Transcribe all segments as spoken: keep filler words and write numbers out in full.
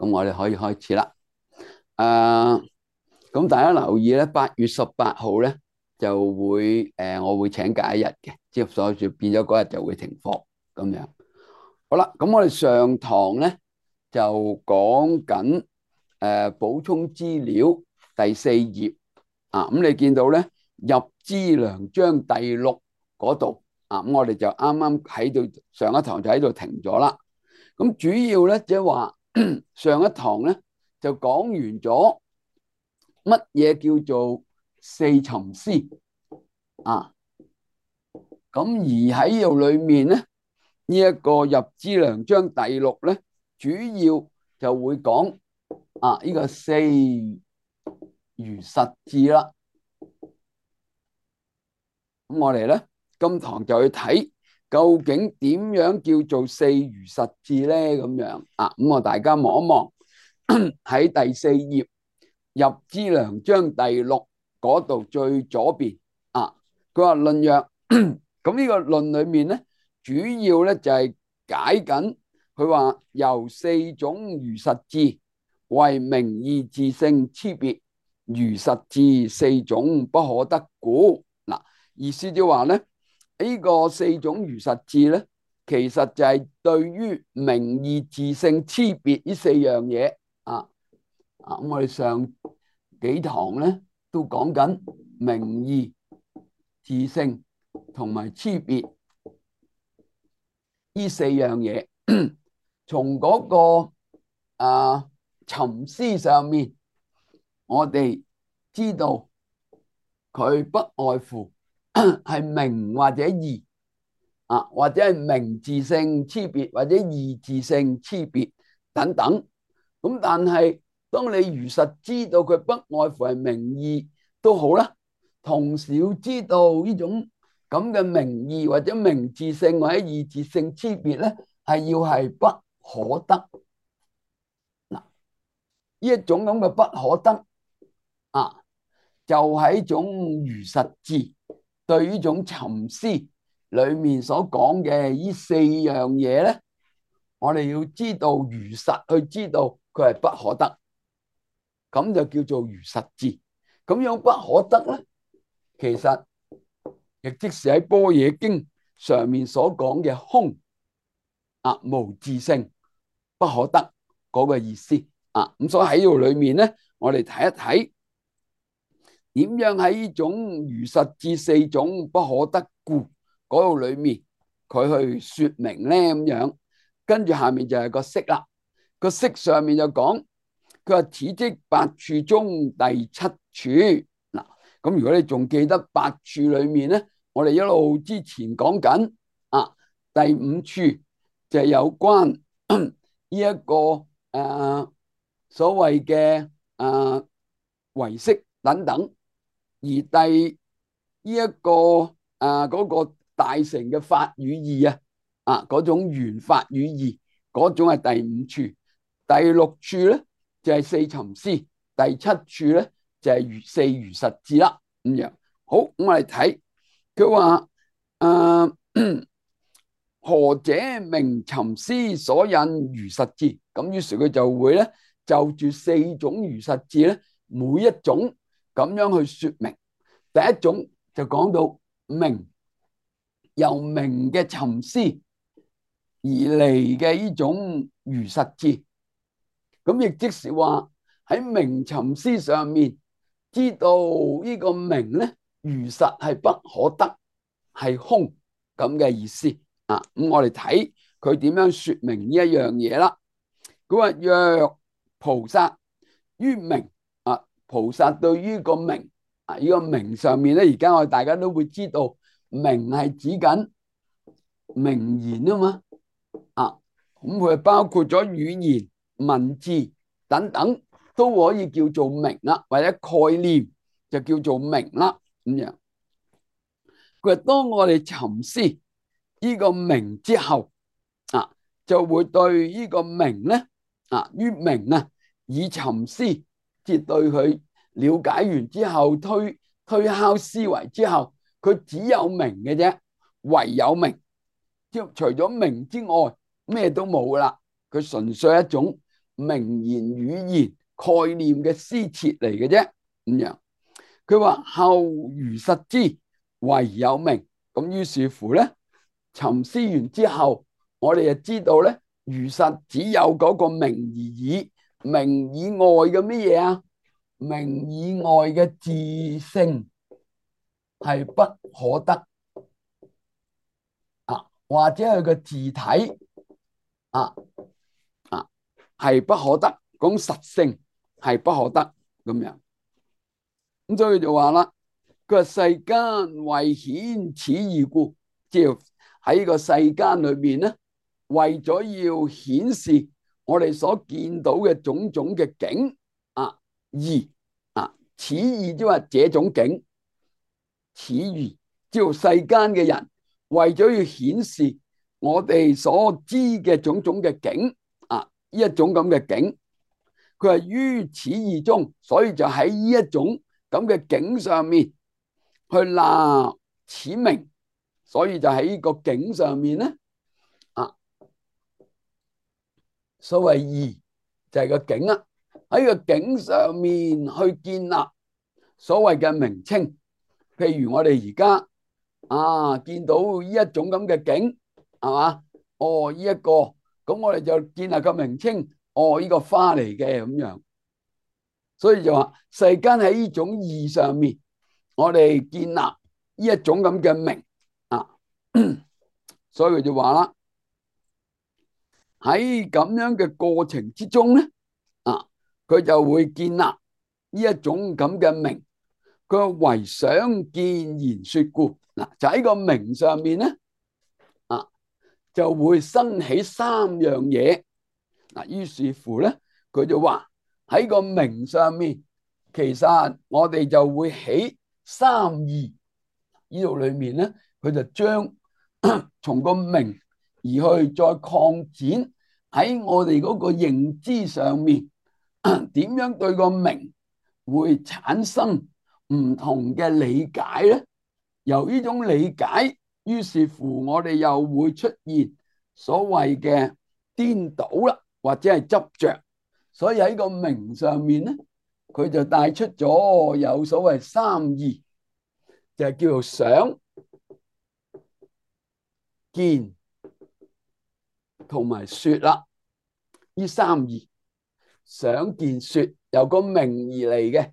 咁我哋可以開始啦。誒，咁大家留意咧，八月十八號咧就會誒，我會請假一日嘅，即係所以變咗嗰日就會停課咁樣。好啦，咁我哋上堂咧就講緊誒補充資料第四頁啊。咁你見到咧入資糧章第六嗰度啊，咁我哋就啱啱喺度上一堂就喺度停咗啦。咁主要咧即係話上一堂咧就講完咗乜嘢叫做四尋思啊。咁而喺度裏面咧呢一個入資糧章第六咧，主要就會講啊呢個四如實智啦。咁我哋咧今堂就去睇究竟點樣叫做四如實智咧？咁樣啊，咁我大家望一望喺第四頁入資糧章第六嗰度最左邊啊，佢話論曰，咁呢個論裏面咧，主要咧就係解緊佢話由四種如實智為名義自性差別如實智四種不可得故。嗱，意思就話咧呢個四種如實智咧，其實就係對於名義自性差別呢四樣嘢啊。啊，咁我哋上幾堂咧都講緊名義、自性同埋差別呢四樣嘢。從嗰個啊尋思上面，我哋知道佢不外乎係名或者義啊，或者係名自性差別或者義自性差別等等。咁但係當你如實知道佢不外乎係名義都好啦，同時要知道呢種咁嘅名義或者名自性或者義自性差別咧，係要係不可得。嗱，呢一種咁嘅不可得啊，就係一種如實智對呢種尋思裏面所講嘅呢四樣嘢咧，我哋要知道如實去知道佢係不可得，咁就叫做如實智。咁樣不可得咧，其實亦即是喺般若經上面所講嘅空啊，無自性不可得嗰個意思啊。咁所以喺度裏面咧，我哋睇一睇點樣喺呢種如實智四種不可得故嗰度裏面，佢去說明咧咁樣。跟住下面就係個釋啦，個釋上面就講，佢話此即八處中第七處。嗱，咁如果你仲記得八處裏面咧，我哋一路之前講緊啊，第五處就係有關呢一個誒所謂嘅誒唯識等等，而第呢一個誒嗰個大乘嘅法與義啊。啊，嗰種緣法與義，嗰種係第五處。第六處咧就係四尋思，第七處咧就係如四如實智啦。咁樣好，我哋睇佢話誒何者名尋思所引如實智？咁於是佢就會咧就住四種如實智咧，每一種咁樣去說明。第一種就講到名，由名嘅尋思而嚟嘅呢種如實智，咁亦即是話喺名尋思上面知道呢個名咧如實係不可得，係空咁嘅意思啊。咁我哋睇佢點樣說明呢一樣嘢啦。佢話若菩薩於名啊，菩薩對於個名啊，呢個名上面咧，而家我哋大家都會知道名係指緊名言啊嘛。啊，咁佢包括咗語言、文字等等，都可以叫做名啦，或者概念就叫做名啦。咁樣，佢話當我哋尋思呢個名之後，啊，就會對呢個名咧，啊，於名啊，以尋思，即係對佢了解完之後，推推敲思維之後，佢只有名嘅啫，唯有名，即除咗名之外，咩都冇噶啦，佢純粹一種名言語言概念嘅詩詞嚟嘅啫。咁樣佢話後如實之，惟有名。咁於是乎咧，沉思完之後，我哋就知道咧，如實只有嗰個名而已，名以外嘅乜嘢啊？名以外嘅自性係不可得啊，或者係個字體啊啊係不可得，講實性係不可得咁樣。咁所以就話啦，佢話世間為顯此義故，即係喺個世間裏邊咧，為咗要顯示我哋所見到嘅種種嘅景啊義啊，此義即係話這種景，此義即係世間嘅人為咗要顯示我哋所知嘅種種嘅景啊，呢一種咁嘅景，佢係於此義中，所以就喺呢一種咁嘅景上面去立此名，所以就喺呢個景上面咧啊，所謂義就係個景啊，喺個景上面去建立所謂嘅名稱。譬如我哋而家啊見到呢一種咁嘅景，係嘛？哦，呢一個咁我哋就建立個名稱，哦，呢個花嚟嘅咁樣。所以就話世間喺呢種義上面，我哋建立呢一種咁嘅名啊，所以佢就話啦，喺咁樣嘅過程之中咧，啊，佢就會建立呢一種咁嘅名。佢為想見言說故，嗱就喺個名上面咧，啊就會生起三樣嘢。嗱，於是乎咧，佢就話喺個名上面，其實我哋就會起三義。呢度裏面咧，佢就將從個名而去再擴展喺我哋嗰個認知上面，點樣對個名會產生唔同嘅理解咧？由呢種理解，於是乎我哋又會出現所謂嘅顛倒啦，或者係執着。所以喺個名上面咧，佢就帶出咗有所謂三義，就係叫做想、見同埋說啦。呢三義，想、見、說，由個名而嚟嘅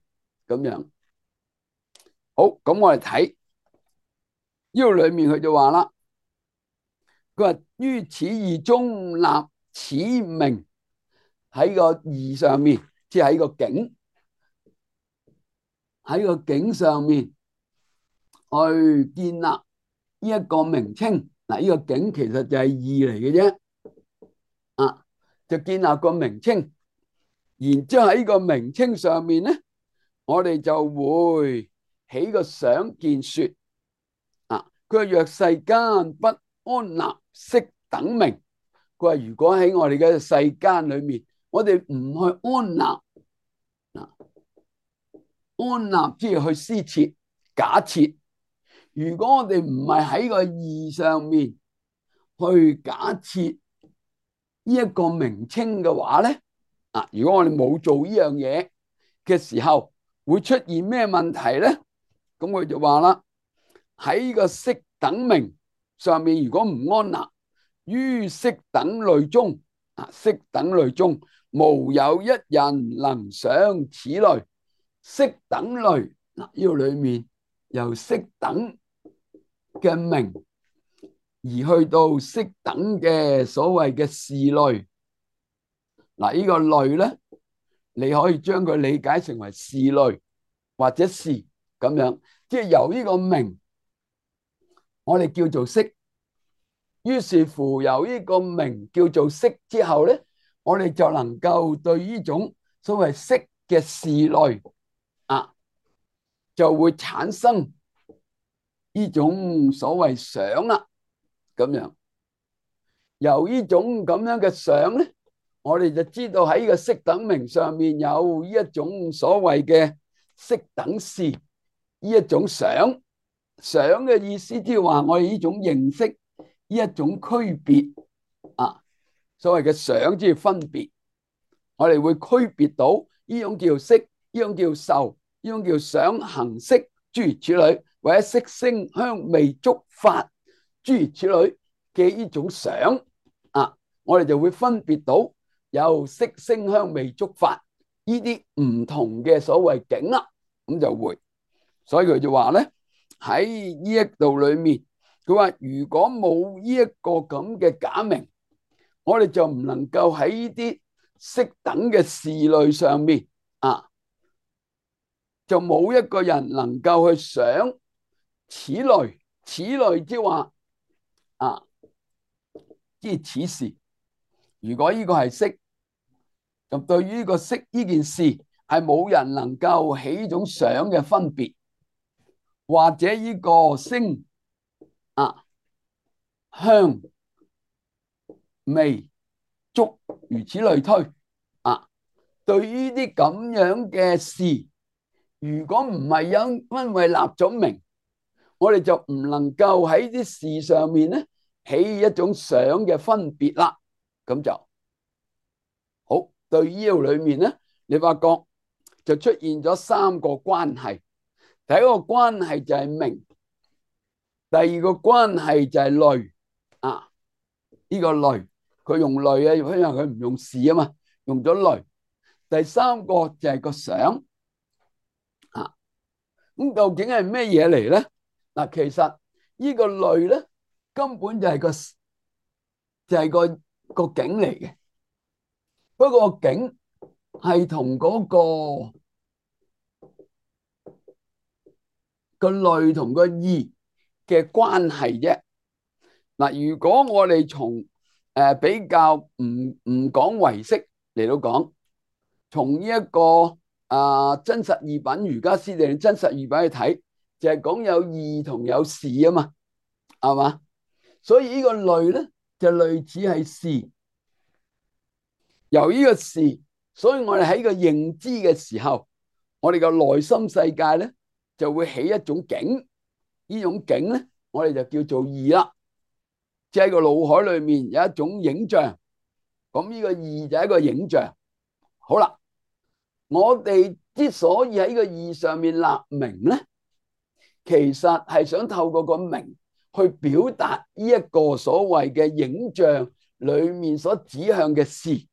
咁樣。好，咁我哋睇呢度裏面佢就話啦，佢話於此義中立此名，喺個義上面，即係喺個景，喺個景上面去建立呢一個名稱。嗱，呢個景其實就係義嚟嘅啫，啊，就建立個名稱，然之後喺呢個名稱上面咧，我哋就會起個想、見、說。啊，佢話若世間不安立色等名，佢話如果喺我哋嘅世間裏面，我哋唔去安立，啊，安立即係去施設、假設。如果我哋唔係喺個義上面去假設呢一個名稱嘅話咧，啊，如果我哋冇做呢樣嘢嘅時候，會出現咩問題咧？咁佢就話啦，喺個色等名上面，如果唔安立於色等類中，啊，色等類中無有一人能想此類色等類。嗱，呢個裏面由色等嘅名而去到色等嘅所謂嘅事類。嗱，呢個類咧，你可以將佢理解成為事類或者事咁樣，即係由呢個名我哋叫做色，於是乎由呢個名叫做色之後咧，我哋就能夠對呢種所謂色嘅事類啊，就會產生呢種所謂想啦，咁樣由呢種咁樣嘅想咧，我哋就知道喺呢個色等名上面有呢一種所謂嘅色等事，呢一種想。想嘅意思即係話我哋呢種認識，呢一種區別啊，所謂嘅想即係分別。我哋會區別到呢種叫色，呢種叫受，呢種叫想行識，諸如此類，或者色聲香味觸法諸如此類嘅呢種想啊，我哋就會分別到有色聲香味觸法呢啲唔同嘅所謂境啦，咁就會，所以佢就話咧喺呢一度裏面，佢話如果冇呢一個咁嘅假名，我哋就唔能夠喺呢啲色等嘅事類上面啊，就冇一個人能夠去想此類，此類即係話啊，即係此事。如果呢個係色，咁對於呢個色呢件事係冇人能夠起呢種想嘅分別，或者呢個聲啊香味觸如此類推啊，對於啲咁樣嘅事，如果唔係因因為立咗名，我哋就唔能夠喺啲事上面咧起一種想嘅分別啦。咁就好。對呢度裏面咧，你發覺就出現咗三個關係。第一個關係就係名，第二個關係就係類啊。呢個類佢用類啊，因為佢唔用事啊嘛，用咗類。第三個就係個想啊。咁究竟係咩嘢嚟咧？嗱，其實呢個類咧根本就係個就係個個境嚟嘅。不過個境係同嗰個個類同個義嘅關係啫。嗱，如果我哋從誒比較唔唔講唯識嚟到講，從呢一個啊真實義品瑜伽師地真實義品去睇，就係講有義同有事啊嘛，係嘛？所以呢個類咧就類似係事，由呢個事，所以我哋喺個認知嘅時候，我哋個內心世界咧就會起一種境，呢種境咧我哋就叫做義啦。即係個腦海裏面有一種影像，咁呢個義就係一個影像。好啦，我哋之所以喺個義上面立名咧，其實係想透過個名去表達呢一個所謂嘅影像裏面所指向嘅事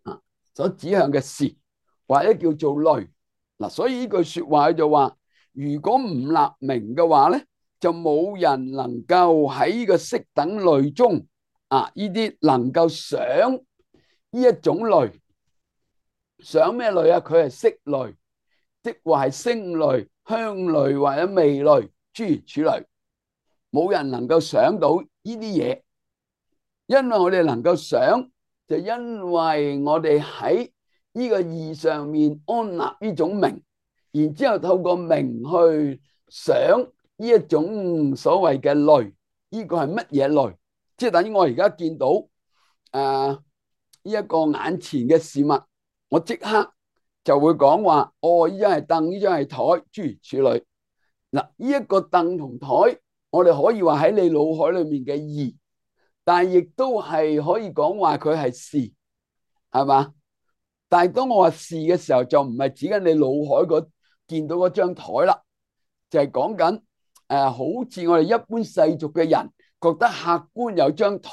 啊，所指向嘅事或者叫做類嗱。所以呢句說話就話，如果唔立名嘅話咧，就冇人能夠喺呢個色等類中啊，呢啲能夠想呢一種類，想咩類啊？佢係色類，即話係聲類、香類或者味類諸如此類，冇人能夠想到呢啲嘢。因為我哋能夠想，就因為我哋喺呢個義上面安立呢種名，然之後透過名去想呢一種所謂嘅類，呢個係乜嘢類？即係等於我而家見到誒呢一個眼前嘅事物，我即刻就會講話，哦，呢張係凳，呢張係台，諸如此類。嗱，呢一個凳同台，我哋可以話喺你腦海裏面嘅義，但係亦都係可以講話佢係事，係嘛？但係當我話事嘅時候，就唔係指緊你腦海嗰見到嗰張台啦，就係講緊誒，好似我哋一般世俗嘅人覺得客觀有張台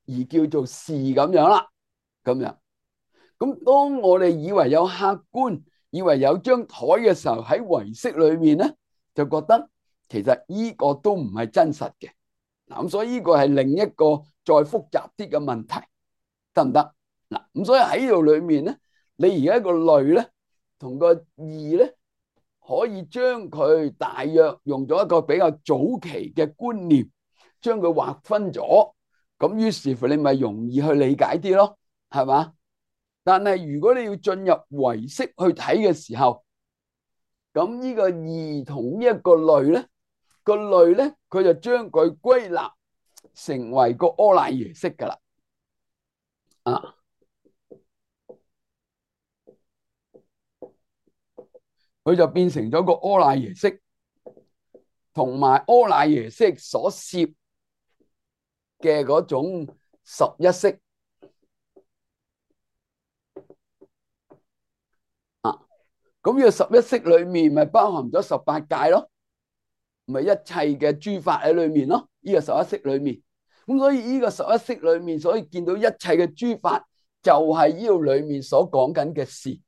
而叫做事咁樣啦，咁樣。咁當我哋以為有客觀，以為有張台嘅時候，喺唯識裏面咧，就覺得其實呢個都唔係真實嘅。嗱，咁所以呢個係另一個再複雜啲嘅問題，得唔得？嗱，咁所以喺呢度裏面咧，你而家個類咧同個義咧，可以將佢大約用咗一個比較早期嘅觀念，將佢劃分咗，咁於是乎你咪容易去理解啲咯，係嘛？但係如果你要進入唯識去睇嘅時候，咁呢個義同呢一個類咧，個類咧佢就將佢歸納成為個阿賴耶識噶啦，啊，佢就變成咗個阿賴耶識，同埋阿賴耶識所涉嘅嗰種十一識。咁呢個十一式裏面咪包含咗十八界咯，咪一切嘅諸法喺裏面咯。呢個十一式裏面，咁所以呢個十一式裏面，所以見到一切嘅諸法就係呢度裏面所講緊嘅事。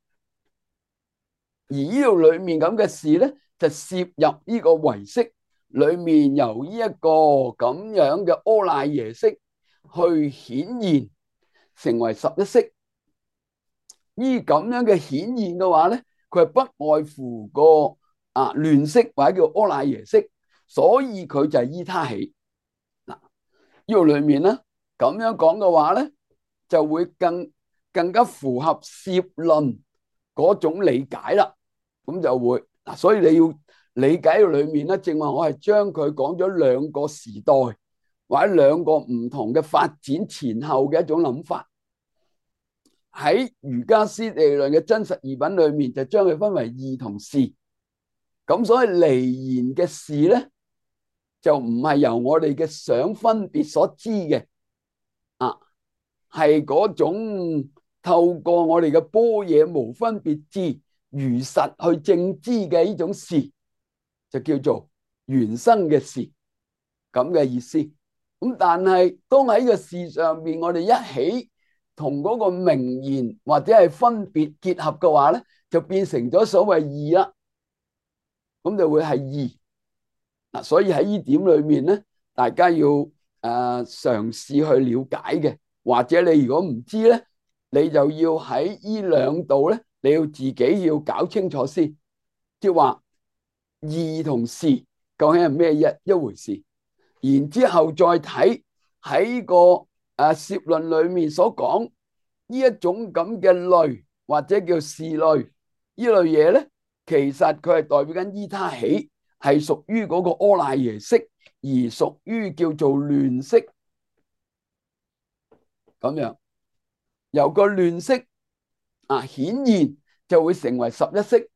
而呢度裏面咁嘅事咧，就攝入呢個唯識裏面，由呢一個咁樣嘅阿賴耶識去顯現成為十一式。呢咁樣嘅顯現嘅話咧，佢係不外乎個啊亂識或者叫阿賴耶識，所以佢就係依他起。嗱，呢度裏面咧咁樣講嘅話咧，就會更更加符合攝論嗰種理解啦。咁就會嗱，所以你要理解到裏面咧，正話我係將佢講咗兩個時代或者兩個唔同嘅發展前後嘅一種諗法。喺瑜伽師地論嘅真實義品裏面，就將佢分為義同事。咁所以離言嘅事咧，就唔係由我哋嘅想分別所知嘅，啊，係嗰種透過我哋嘅般若無分別智如實去證知嘅呢種事，就叫做緣生嘅事，咁嘅意思。咁但係當喺呢個事上面，我哋一起同嗰個名言或者係分別結合嘅話咧，就變成咗所謂義啦。咁就會係義嗱，所以喺呢點裏面咧，大家要誒嘗試去了解嘅，或者你如果唔知咧，你就要喺呢兩度咧，你要自己要搞清楚先，即係話義同事究竟係咩一一回事，然之後再睇喺個誒攝論裏面所講呢一種咁嘅類或者叫事類呢類嘢咧，其實佢係代表緊依他起，係屬於嗰個阿賴耶識，而屬於叫做亂識咁樣。由個亂識啊顯現就會成為十一識，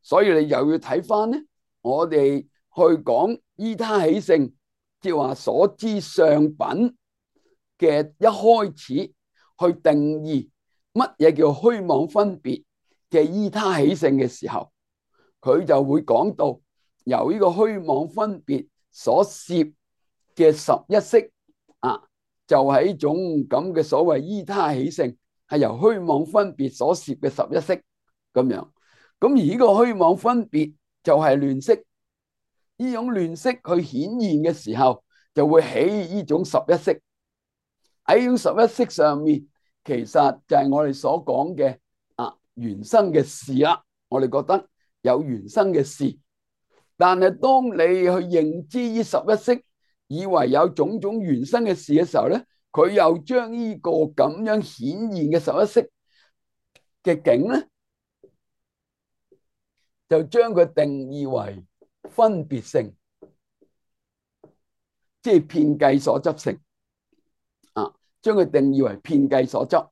所以你又要睇翻咧，我哋去講依他起性，即係話所知相品嘅一開始去定義乜嘢叫虛妄分別嘅依他起性嘅時候，佢就會講到由呢個虛妄分別所攝嘅十一識啊，就係一種咁嘅所謂依他起性，係由虛妄分別所攝嘅十一識咁樣。咁而呢個虛妄分別就係亂識，呢種亂識去顯現嘅時候，就會起呢種十一識。喺呢種十一識上面，其實就係我哋所講嘅啊緣生嘅事啦。我哋覺得有緣生嘅事，但係當你去認知呢十一識，以為有種種緣生嘅事嘅時候咧，佢又將呢個咁樣顯現嘅十一識嘅境咧，就將佢定義為分別性，即係遍計所執性啊，將佢定義為遍計所執。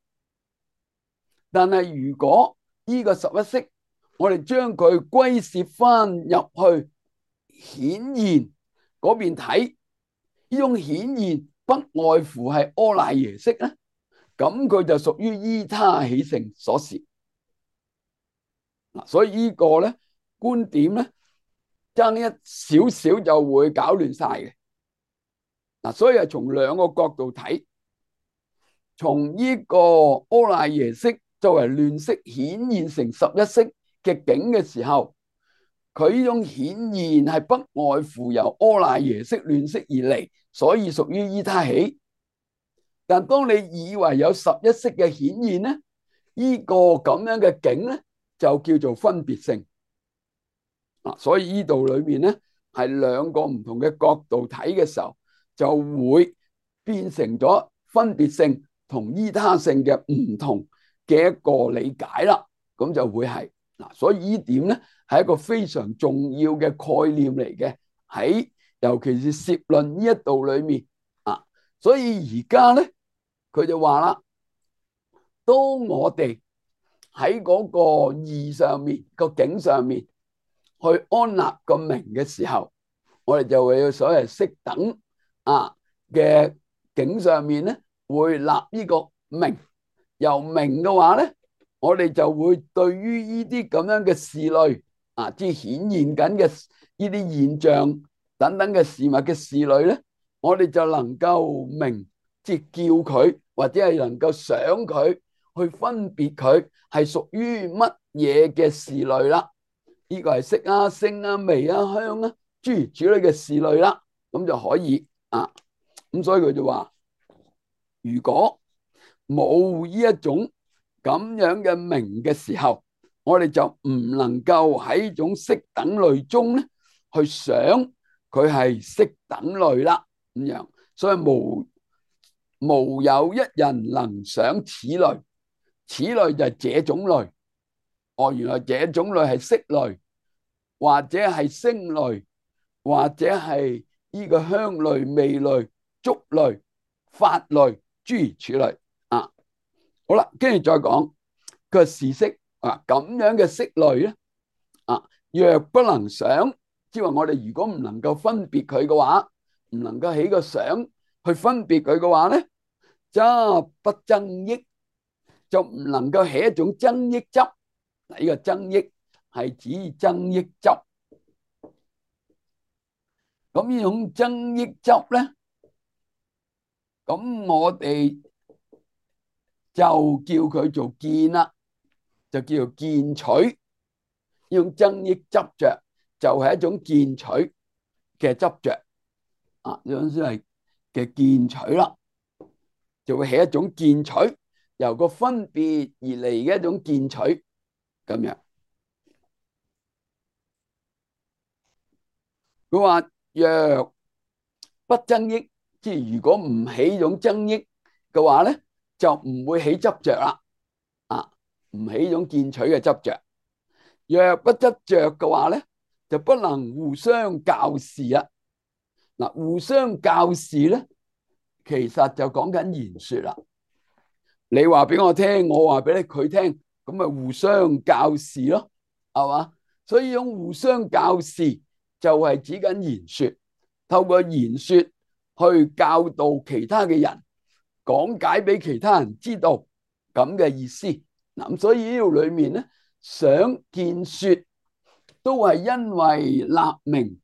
但係如果呢個十一識，我哋將佢歸攝翻入去顯現嗰邊睇，呢種顯現不外乎係阿賴耶識咧，咁佢就屬於依他起性所攝。嗱，所以呢個咧觀點咧，爭一少少就會搞亂晒嘅。嗱，所以係從兩個角度睇，從呢個阿賴耶識作為亂識顯現成十一識嘅境嘅時候，佢呢種顯現係不外乎由阿賴耶識亂識而嚟，所以屬於依他起。但當你以為有十一識嘅顯現咧，呢個咁樣嘅境咧就叫做分別性。嗱，所以呢度裏面咧係兩個唔同嘅角度睇嘅時候，就會變成咗分別性同依他性嘅唔同嘅一個理解啦。咁就會係嗱，所以呢點咧係一個非常重要嘅概念嚟嘅，喺尤其是攝論呢一度裏面啊。所以而家咧佢就話啦，當我哋喺嗰個義上面個境上面去安立個名嘅時候，我哋就會有所謂識等啊嘅境上面咧，會立呢個名。由名嘅話咧，我哋就會對於呢啲咁樣嘅事類啊，即係顯現緊嘅呢啲現象等等嘅事物嘅事類咧，我哋就能夠明，即係叫佢或者係能夠想佢去分別佢係屬於乜嘢嘅事類啦。呢個係色啊、聲啊、味啊、香啊，諸如此類嘅事類啦，咁就可以啊。咁所以佢就話，如果冇呢一種咁樣嘅明嘅時候，我哋就唔能夠喺呢種色等類中咧去想佢係色等類啦。咁樣，所以無無有一人能想此類，此類就係這種類。哦，原來這種類係色類，或者係聲類，或者係呢個香類、味類、觸類、法類，諸如此類啊。好啦，跟住再講個是色啊，咁樣嘅色類咧啊，若不能想，即係話我哋如果唔能夠分別佢嘅話，唔能夠起個想去分別佢嘅話咧，則不增益，就唔能夠起一種增益執。嗱，呢個增益係指增益執。咁呢種增益執咧，咁我哋就叫佢做見啦，就叫做見取。呢種增益執着就係一種見取嘅執着啊，呢種先係嘅見取啦，就會起一種見取，由個分別而嚟嘅一種見取咁樣。佢話若不增益，即係如果唔起呢種增益嘅話咧，就唔會起執着啦。啊，唔起呢種見取嘅執着。若不執着嘅話咧，就不能互相校事啊。嗱，互相校事咧，其實就講緊言說啦。你話俾我聽，我話俾你佢聽，咁咪互相校事咯，係嘛？所以呢種互相校事就係指緊言說，透過言說去教導其他嘅人，講解俾其他人知道咁嘅意思。嗱，咁所以呢度裏面咧，想見說都係因為立名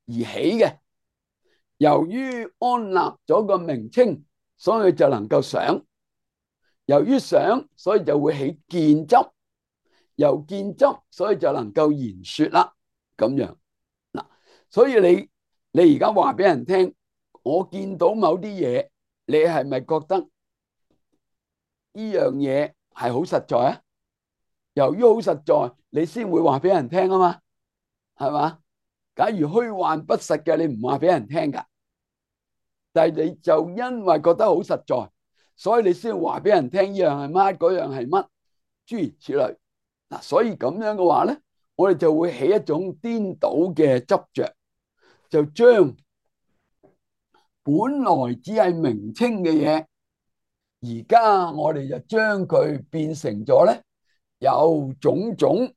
而起嘅。由於安立咗個名稱，所以就能夠想。由於想，所以就會起見執。由見執，所以就能夠言說啦。咁樣嗱，所以你你而家話俾人聽，我見到某啲嘢，你係咪覺得呢樣嘢係好實在啊？由於好實在，你先會話俾人聽啊嘛，係嘛？假如虛幻不實嘅，你唔話俾人聽噶。但係你就因為覺得好實在，所以你先話俾人聽呢樣係乜，嗰樣係乜，諸如此類。嗱，所以咁樣嘅話咧，我哋就會起一種顛倒嘅執着，就將本來只係名稱嘅嘢，而家我哋就將佢變成咗咧有種種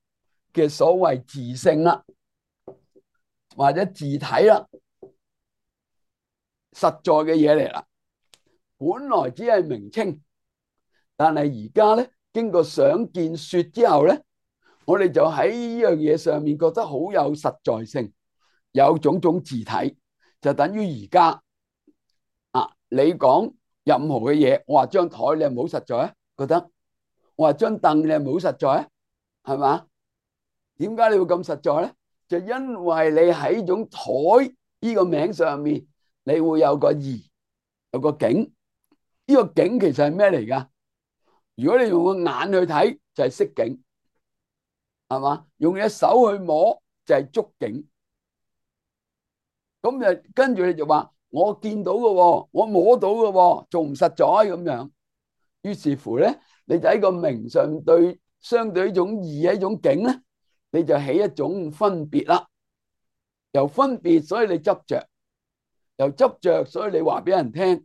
嘅所謂自性啦，或者自體啦，實在嘅嘢嚟啦。本來只係名稱，但係而家咧經過想見說之後咧，我哋就喺呢樣嘢上面覺得好有實在性，有種種自體，就等於而家啊，你講任何嘅嘢，我話張台你係咪好實在啊？覺得我話張凳你係咪好實在啊？係嘛？點解你會咁實在咧？就因為你喺種台呢個名上面，你會有個義，有個景。呢個景其實係咩嚟噶？如果你用個眼去睇，就係色景，係嘛？用你隻手去摸就係觸景。咁就跟住你就話我見到嘅，我摸到嘅，仲唔實在咁樣？於是乎咧，你就喺個名上對相對呢種義一種景咧，你就起一種分別啦。由分別，所以你執着；由執着，所以你話俾人聽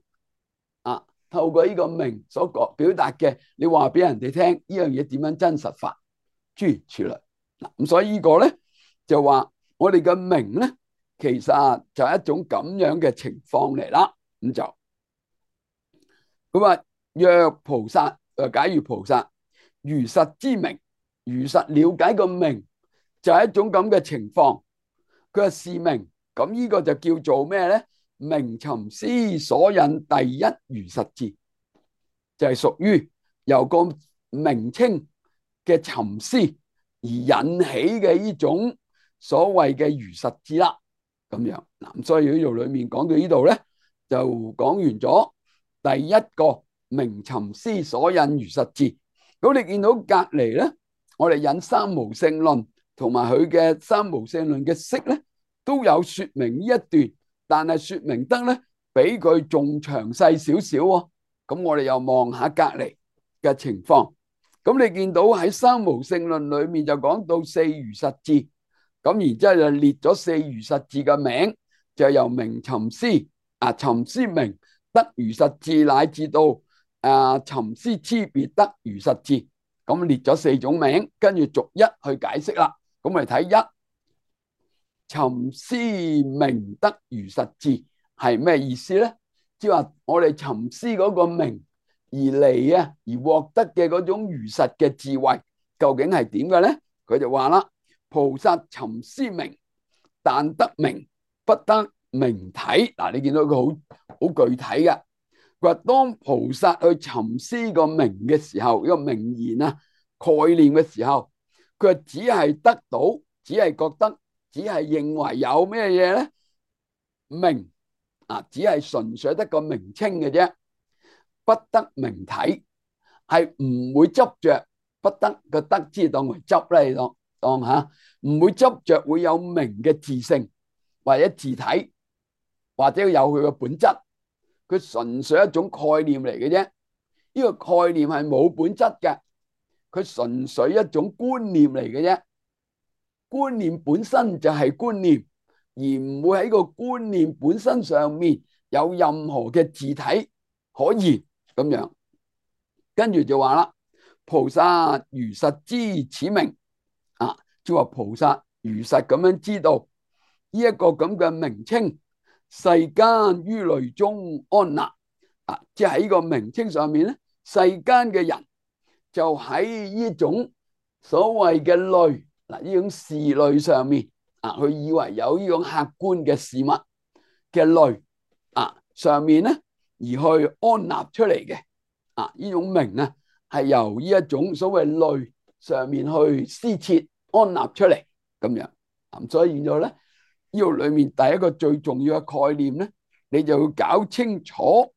啊。透過呢個名所講表達嘅，你話俾人哋聽呢樣嘢點樣真實法，諸如此類。嗱，咁所以呢個咧就話我哋嘅名咧，其實就係一種咁樣嘅情況嚟啦。咁就佢話若菩薩，誒，假如菩薩如實之名，如實了解個名就係一種咁嘅情況。佢話是名，咁呢個就叫做咩咧？名尋思所引第一如實字，就係屬於由個名稱嘅尋思而引起嘅呢種所謂嘅如實字啦。咁樣嗱，所以呢度裏面講到呢度咧，就講完咗第一個名尋思所引如實字。咁你見到隔籬咧，我哋引三無聖論同埋佢嘅三無聖論嘅釋咧，都有說明呢一段，但係說明得咧比佢仲詳細少少喎。咁我哋又望下隔籬嘅情況。咁你見到喺三無聖論裏面就講到四如實字，咁然之後就列咗四如實字嘅名，就由名尋思啊，尋思名得如實字，乃至到啊尋思差別得如實字，咁列咗四種名，跟住逐一去解釋啦。咁我哋睇一尋思名得如實字係咩意思咧？即係話我哋尋思嗰個名而嚟啊，而獲得嘅嗰種如實嘅智慧，究竟係點嘅咧？佢就話啦，菩薩尋思名，但得名不得名體。嗱，你見到佢好好具體嘅。佢話當菩薩去尋思個名嘅時候，呢個名言啊概念嘅時候，佢話只係得到，只係覺得，只係認為有咩嘢咧？名啊，只係純粹得個名稱嘅啫，不得名體，係唔會執着，不得個得之當為執咧，當當吓，唔會執着會有名嘅自性或者自體，或者有佢嘅本質，佢純粹一種概念嚟嘅啫。呢個概念係冇本質嘅，佢純粹一種觀念嚟嘅啫。觀念本身就係觀念，而唔會喺個觀念本身上面有任何嘅自體可言咁樣。跟住就話啦，菩薩如實知此名啊，即係話菩薩如實咁樣知道呢一個咁嘅名稱，世間於類中安立啊，即係喺個名稱上面咧，世間嘅人就喺呢種所謂嘅類嗱，呢種事類上面啊，佢以為有呢種客觀嘅事物嘅類啊上面咧，而去安立出嚟嘅啊，呢種名啊係由呢一種所謂類上面去施設安立出嚟咁樣。咁所以現在咧，呢度裏面第一個最重要嘅概念咧，你就要搞清楚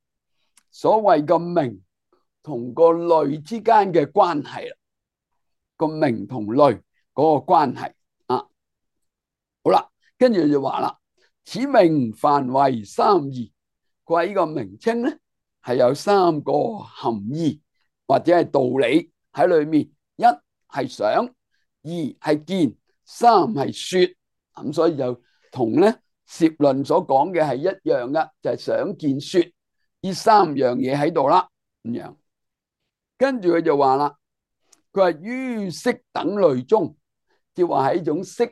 所謂嘅名同個類之間嘅關係啦，個名同類嗰個關係啊。好啦，跟住就話啦，此名凡為三義，佢話呢個名稱咧係有三個含義或者係道理喺裏面，一係想，二係見，三係說。咁所以就同咧攝論所講嘅係一樣嘅，就係想見說呢三樣嘢喺度啦咁樣。跟住佢就話啦，佢話於色等類中，即係話喺種色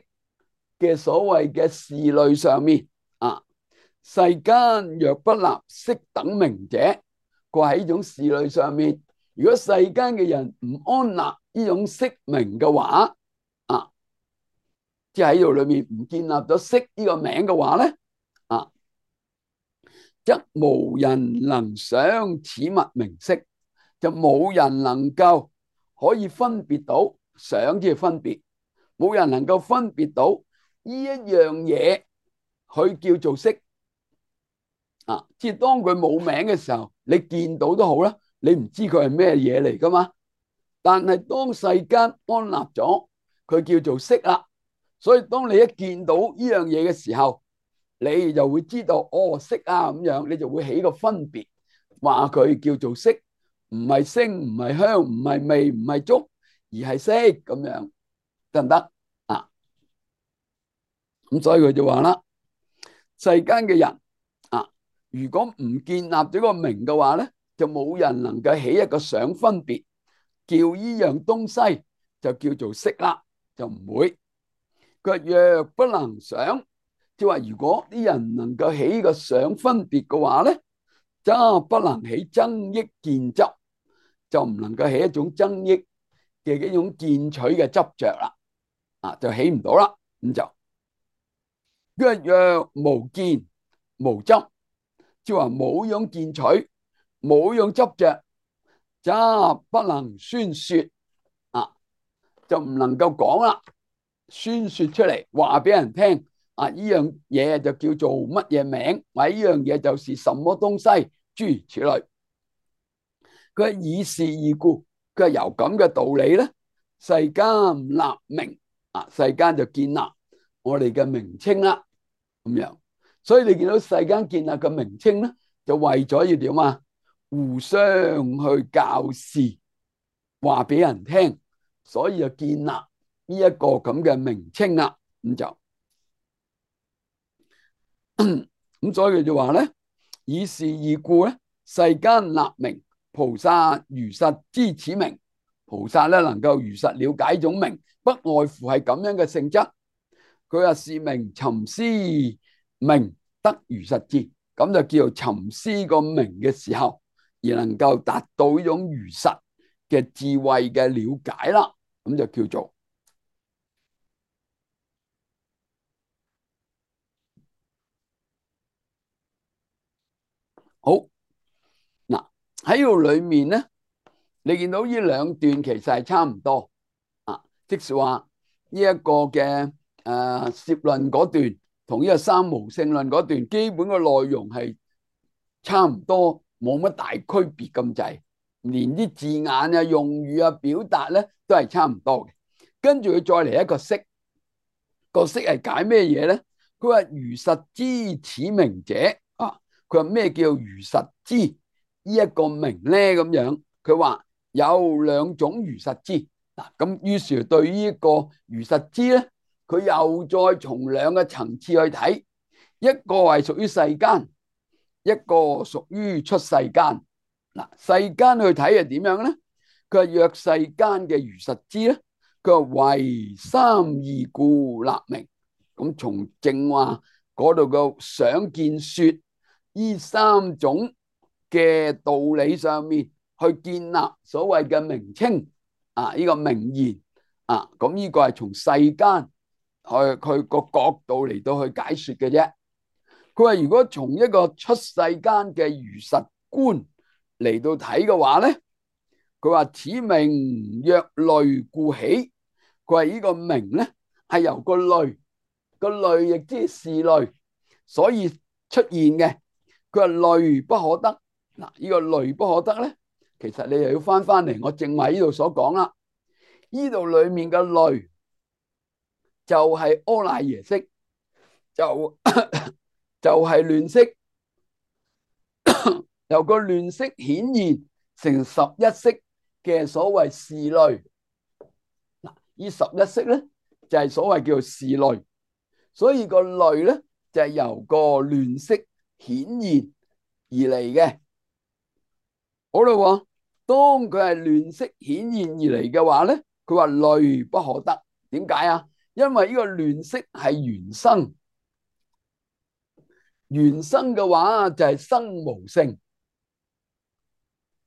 嘅所謂嘅事類上面啊，世間若不立色等名者，佢話喺呢種事類上面，如果世間嘅人唔安立呢種色名嘅話啊，即係喺度裏面唔建立咗色呢個名嘅話咧啊，則無人能想此物名色，就冇人能夠可以分別到想即係分別，冇人能夠分別到呢一樣嘢佢叫做色啊！即係當佢冇名嘅時候，你見到都好啦，你唔知佢係咩嘢嚟噶嘛。但係當世間安立咗佢叫做色啦，所以當你一見到呢樣嘢嘅時候，你就會知道哦，色啊咁樣，你就會起個分別，話佢叫做色，唔係聲，唔係香，唔係味，唔係觸，而係色咁樣，得唔得啊？咁所以佢就話啦，世間嘅人啊，如果唔建立咗個名嘅話咧，就冇人能夠起一個想分別，叫依樣東西就叫做色啦，就唔會。佢話若不能想，即係話如果啲人能夠起個想分別嘅話咧，則不能起增益見執，就唔能夠起一種增益嘅呢種見取嘅執着啦，啊就起唔到啦。咁就若若無見無執，即係話冇用見取，冇用執着，則不能宣說啊，就唔能夠講啦，宣說出嚟話俾人聽啊！呢樣嘢就叫做乜嘢名，或者呢樣嘢就是什麼東西，諸如此類。佢係以是義故，佢係由咁嘅道理咧，世間立名啊，世間就建立我哋嘅名稱啦，咁樣。所以你見到世間建立嘅名稱咧，就為咗要點啊？互相去教示，話俾人聽，所以就建立呢一個咁嘅名稱啦。咁就咁，所以佢就話咧，以是義故咧，世間立名。菩薩如實知此名，菩薩咧能夠如實了解種名，不外乎係咁樣嘅性質。佢話是名尋師名得如實知，咁就叫做尋師個名嘅時候，而能夠達到呢種如實嘅智慧嘅了解啦。咁就叫做好。嗱，喺度裏面咧，你見到呢兩段其實係差唔多啊，即是話呢一個嘅誒攝論嗰段同呢個三無性論嗰段，基本嘅內容係差唔多，冇乜大區別咁滯，連啲字眼啊、用語啊、表達咧都係差唔多嘅。跟住佢再嚟一個釋，個釋係解咩嘢咧？佢話如實知此名者啊，佢話咩叫如實知呢一個名咧？咁樣佢話有兩種如實知嗱，咁於是對呢一個如實知咧，佢又再從兩個層次去睇，一個係屬於世間，一個屬於出世間。嗱，世間去睇係點樣咧？佢話若世間嘅如實知咧，佢話為三義故立名。咁從正話嗰度嘅想見說呢三種嘅道理上面去建立所謂嘅名稱啊，呢個名言啊，咁呢個係從世間去佢個角度嚟到去解說嘅啫。佢話如果從一個出世間嘅如實觀嚟到睇嘅話咧，佢話此名若類故起。佢話呢個名咧係由個類，個類亦即係事類，所以出現嘅。佢話類不可得。嗱，呢個類不可得咧，其實你又要翻翻嚟我正話呢度所講啦。呢度裏面嘅類就係阿賴耶識，就就係亂識，由個亂識顯現成十一識嘅所謂事類。嗱，呢十一識咧就係所謂叫做事類，所以個類咧就係由個亂識顯現而嚟嘅。好啦，當佢係亂識顯現而嚟嘅話咧，佢話類不可得。點解啊？因為呢個亂識係緣生，緣生嘅話就係生無性，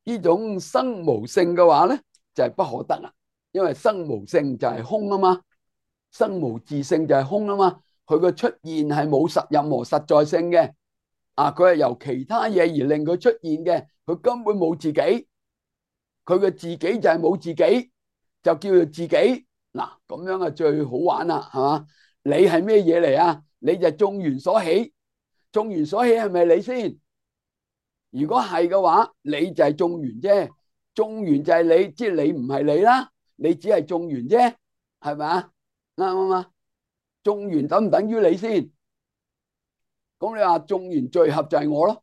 呢種生無性嘅話咧就係不可得啦。因為生無性就係空啊嘛，生無自性就係空啊嘛，佢個出現係冇實任何實在性嘅。啊，佢係由其他嘢而令佢出現嘅，佢根本冇自己，佢嘅自己就係冇自己，就叫做自己。嗱，咁樣啊最好玩啦，係嘛？你係咩嘢嚟啊？你就係眾緣所起，眾緣所起係咪你先？如果係嘅話，你就係眾緣啫，眾緣就係你，即係你唔係你啦，你只係眾緣啫，係咪啊？啱唔啱？眾緣等唔等於你先？咁你話眾緣聚合就係我咯，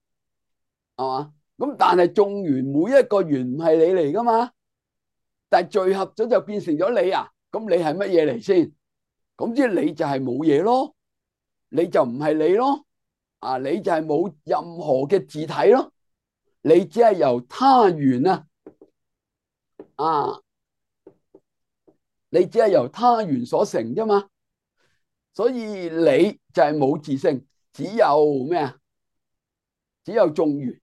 係嘛？咁但係眾緣每一個緣唔係你嚟噶嘛？但係聚合咗就變成咗你啊？咁你係乜嘢嚟先？咁即係你就係冇嘢咯，你就唔係你咯，啊，你就係冇任何嘅自體咯，你只係由他緣啊，啊，你只係由他緣所成啫嘛，所以你就係冇自性，只有咩啊？只有眾緣，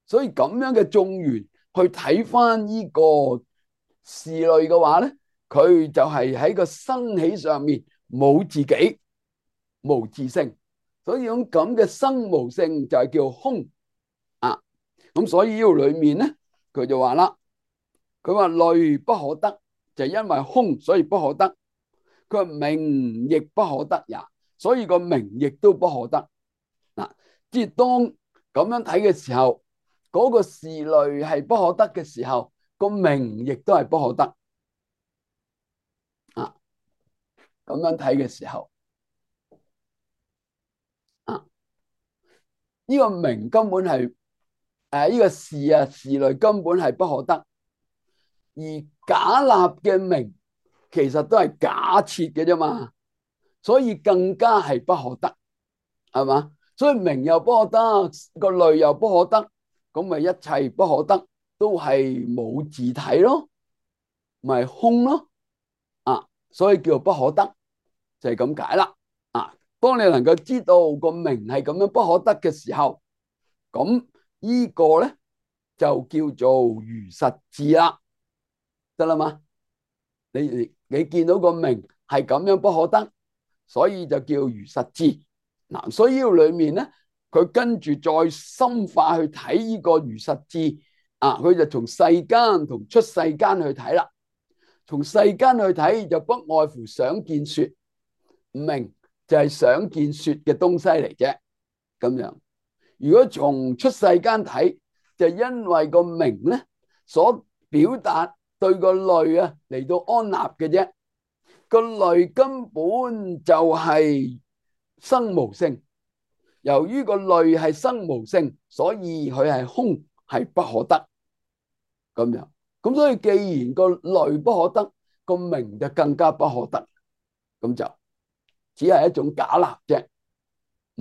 所以咁樣嘅眾緣去睇翻呢個事類嘅話咧，佢就係喺個生起上面冇自己，無自性，所以種咁嘅生無性就係叫空啊。咁所以呢度裏面咧，佢就話啦，佢話類不可得，就係因為空，所以不可得。佢話名亦不可得也，所以個名亦都不可得。嗱，即係當咁樣睇嘅時候，嗰個事類係不可得嘅時候，個名亦都係不可得。啊，咁樣睇嘅時候，啊，呢個名根本係誒呢個事啊，事類根本係不可得，而假立嘅名其實都係假設嘅啫嘛，所以更加係不可得，係嘛？所以名又不可得，個類又不可得，咁咪一切不可得都係冇自體咯，咪空咯，啊，所以叫做不可得，就係咁解啦。啊，當你能夠知道個名係咁樣不可得嘅時候，咁呢個咧就叫做如實智啦，得啦嘛？你你你見到個名係咁樣不可得，所以就叫如實智。嗱，所以呢個裏面咧，佢跟住再深化去睇呢個如實智啊，佢就從世間同出世間去睇啦。從世間去睇就不外乎想見說，名就係想見說嘅東西嚟啫。咁樣，如果從出世間睇，就因為個名咧所表達對個類啊嚟到安立嘅啫。個類根本就係生無性，由於個類係生無性，所以佢係空，係不可得。咁樣，咁所以既然個類不可得，個名就更加不可得。咁就只係一種假立啫，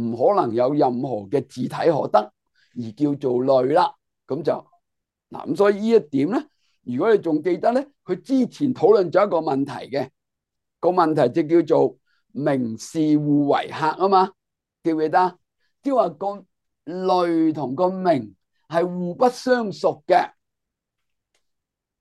唔可能有任何嘅自體可得，而叫做類啦。咁就嗱，咁所以呢一點咧，如果你仲記得咧，佢之前討論咗一個問題嘅，個問題就叫做名事互為客啊嘛，記唔記得？即係話個類同個名係互不相屬嘅，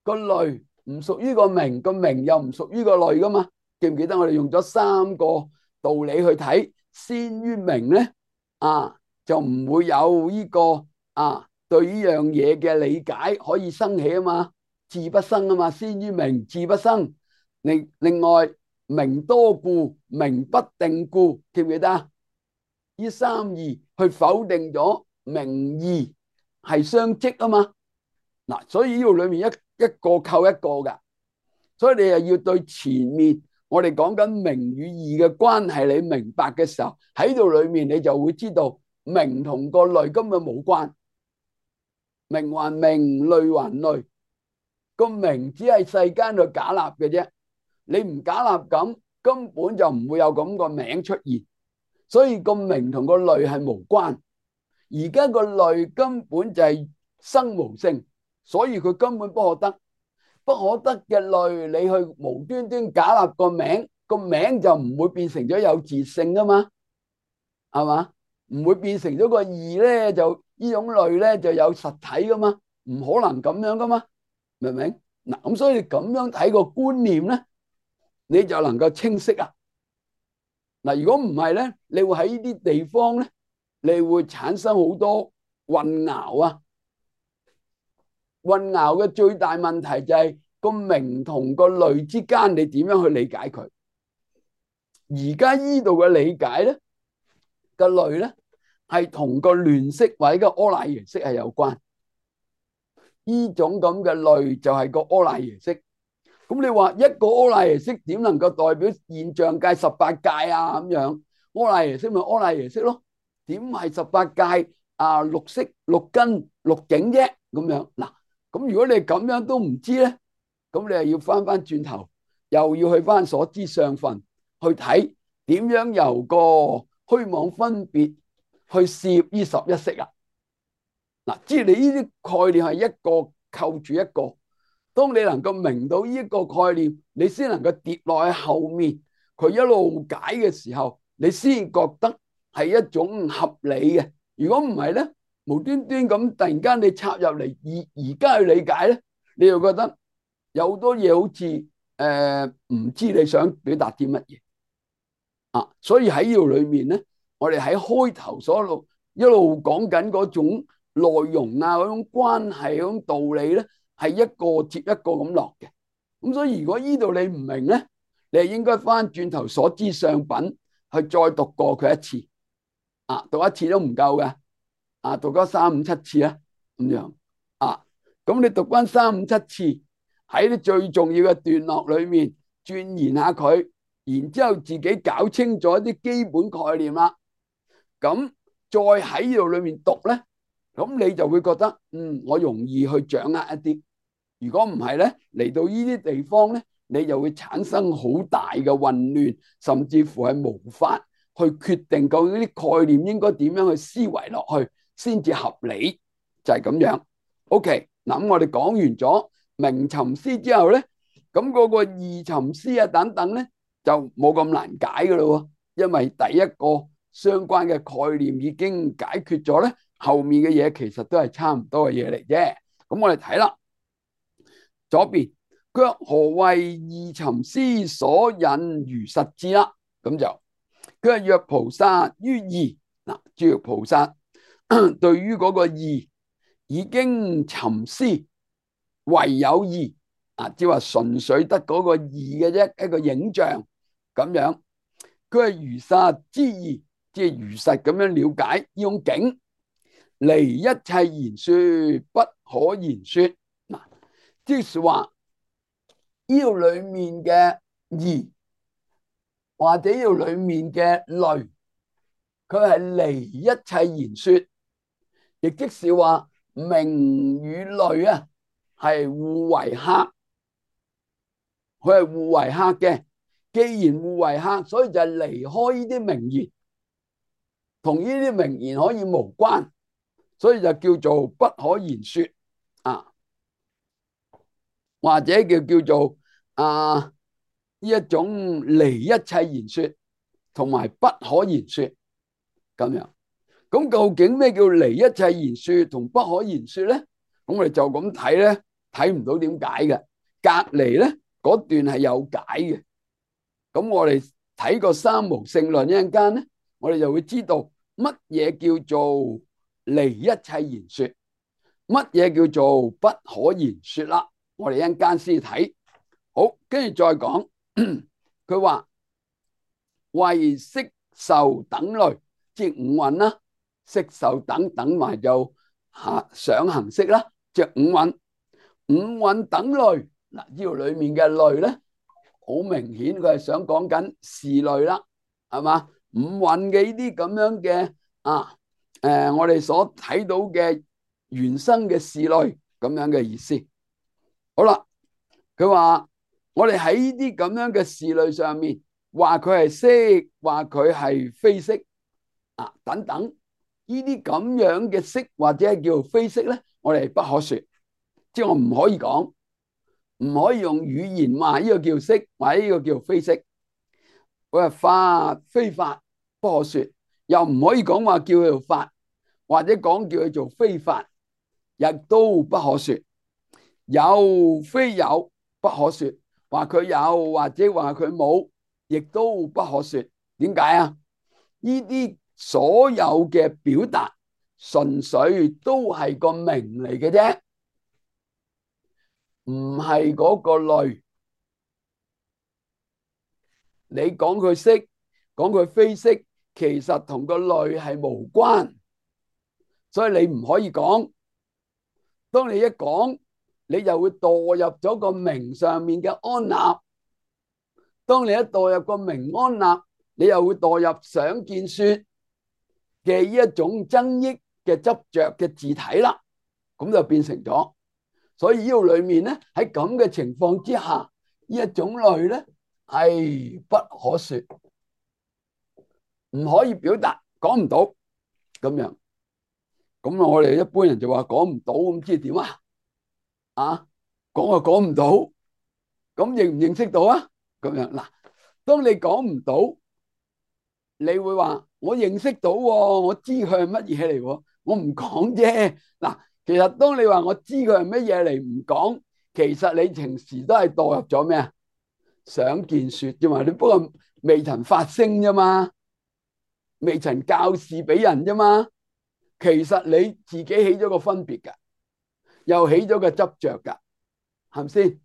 個類唔屬於個名，個名又唔屬於個類噶嘛？記唔記得我哋用咗三個道理去睇，先於名咧啊，就唔會有呢個啊對呢樣嘢嘅理解可以生起啊嘛，智不生啊嘛，先於名，智不生。另另外名多故，名不定故，記唔記得啊？呢三義去否定咗名義係相即啊嘛。嗱，所以呢度裏面一一個扣一個噶，所以你又要對前面我哋講緊名與義嘅關係，你明白嘅時候，喺度裏面你就會知道名同個類根本冇關，名還名，類還類，個名只係世間度假立嘅啫。你唔假立咁，根本就唔會有咁個名出現，所以個名同個類係無關。而家個類根本就係生無性，所以佢根本不可得。不可得嘅類，你去無端端假立個名，個名就唔會變成咗有自性噶嘛，係嘛？唔會變成咗個義咧，就呢種類咧就有實體噶嘛，唔可能咁樣噶嘛，明唔明？嗱，咁所以咁樣睇個觀念咧，你就能夠清晰啊。嗱，如果唔係咧，你會喺呢啲地方咧，你會產生好多混淆啊。混淆嘅最大問題就係個名同個類之間，你點樣去理解佢？而家呢度嘅理解咧，個類咧係同個亂釋或者個柯賴耶識係有關。呢種咁嘅類就係個柯賴耶識。咁你話一個柯賴耶識點能夠代表現象界十八界啊？咁樣柯賴耶識咪柯賴耶識咯？點係十八界啊？六識、六根、六境啫？咁樣嗱。咁如果你咁樣都唔知咧，咁你又要翻翻轉頭，又要去翻所知相分去睇點樣由個虛妄分別去攝呢十一識啊！嗱，即係你呢啲概念係一個扣住一個，當你能夠明到呢一個概念，你先能夠跌落去後面，佢一路解嘅時候，你先覺得係一種合理嘅。如果唔係咧，無端端咁突然間你插入嚟而而家去理解咧，你又覺得有好多嘢好似誒唔知你想表達啲乜嘢啊，所以喺呢度裏面咧，我哋喺開頭所一路一路講緊嗰種內容啊，嗰種關係，嗰種道理咧，係一個接一個咁落嘅。咁所以如果呢度你唔明咧，你係應該翻轉頭所知上品去再讀過佢一次啊，讀一次都唔夠嘅啊，讀咗三五七次啊，咁樣啊，咁你讀翻三五七次喺啲最重要嘅段落裏面鑽研下佢，然之後自己搞清楚一啲基本概念啦，咁再喺呢度裏面讀咧，咁你就會覺得嗯，我容易去掌握一啲。如果唔係咧，嚟到呢啲地方咧，你就會產生好大嘅混亂，甚至乎係無法去決定究竟啲概念應該點樣去思維落去先至合理，就係咁樣。OK，嗱咁我哋講完咗名尋思之後咧，咁嗰個義尋思啊等等咧就冇咁難解噶咯，因為第一個相關嘅概念已經解決咗咧，後面嘅嘢其實都係差唔多嘅嘢嚟啫。咁我哋睇啦。左邊佢話何謂義尋思所引如實智啦，咁就佢話若菩薩於義嗱，諸如菩薩對於嗰個義已經尋思唯有義啊，即係話純粹得嗰個義嘅啫，一個影像咁樣。佢係如實之義，即係如實咁樣了解呢種境，離一切言說不可言說嗱。即係話呢度裏面嘅義或者呢度裏面嘅類，佢係離一切言說，亦即是話名與類啊係互為客，佢係互為客嘅。既然互為客，所以就係離開呢啲名言，同呢啲名言可以無關，所以就叫做不可言說啊。或者叫叫做啊呢一種離一切言說同埋不可言說咁樣。咁究竟咩叫離一切言說同不可言說咧？咁我哋就咁睇咧，睇唔到點解嘅。隔籬咧嗰段係有解嘅。咁我哋睇個三無性論一陣間咧，我哋就會知道乜嘢叫做離一切言說，乜嘢叫做不可言說啦。我哋一陣間先睇，好，跟住再講。佢話為色受等類，即係五蘊啦，色受等等埋就下想行識啦，即係五蘊。五蘊等類嗱，呢度裏面嘅類咧，好明顯佢係想講緊事類啦，係嘛？五蘊嘅呢啲咁樣嘅啊，誒、呃，我哋所睇到嘅原生嘅事類咁樣嘅意思。好啦，佢話我哋喺呢啲咁樣嘅事類上面，話佢係色，話佢係非色啊，等等呢啲咁樣嘅色或者係叫做非色咧，我哋不可說，即係我唔可以講，唔可以用語言話呢個叫色，或者呢個叫非色。佢話法非法不可說，又唔可以講話叫佢做法，或者講叫佢做非法，亦都不可說。有非有不可說，話佢有或者話佢冇，亦都不可說。點解啊？呢啲所有嘅表達純粹都係個名嚟嘅啫，唔係嗰個類。你講佢色，講佢非色，其實同個類係無關，所以你唔可以講。當你一講，你就會墮入咗個名上面嘅安立。當你一墮入個名安立，你又會墮入想見說嘅呢一種增益嘅執着嘅自體啦。咁就變成咗，所以呢度裏面咧，喺咁嘅情況之下，呢一種類咧係不可說，唔可以表達，講唔到咁樣。咁我哋一般人就話講唔到，咁知點啊？啊，講就講唔到，咁認唔認識到啊？咁樣嗱，當你講唔到，你會話我認識到，我知佢係乜嘢嚟，我唔講啫。嗱，其實當你話我知佢係乜嘢嚟唔講，其實你平時都係墮入咗咩啊？想見說啫嘛，你不過未曾發聲啫嘛，未曾教示俾人啫嘛。其實你自己起咗個分別噶，又起咗個執着噶，係咪先？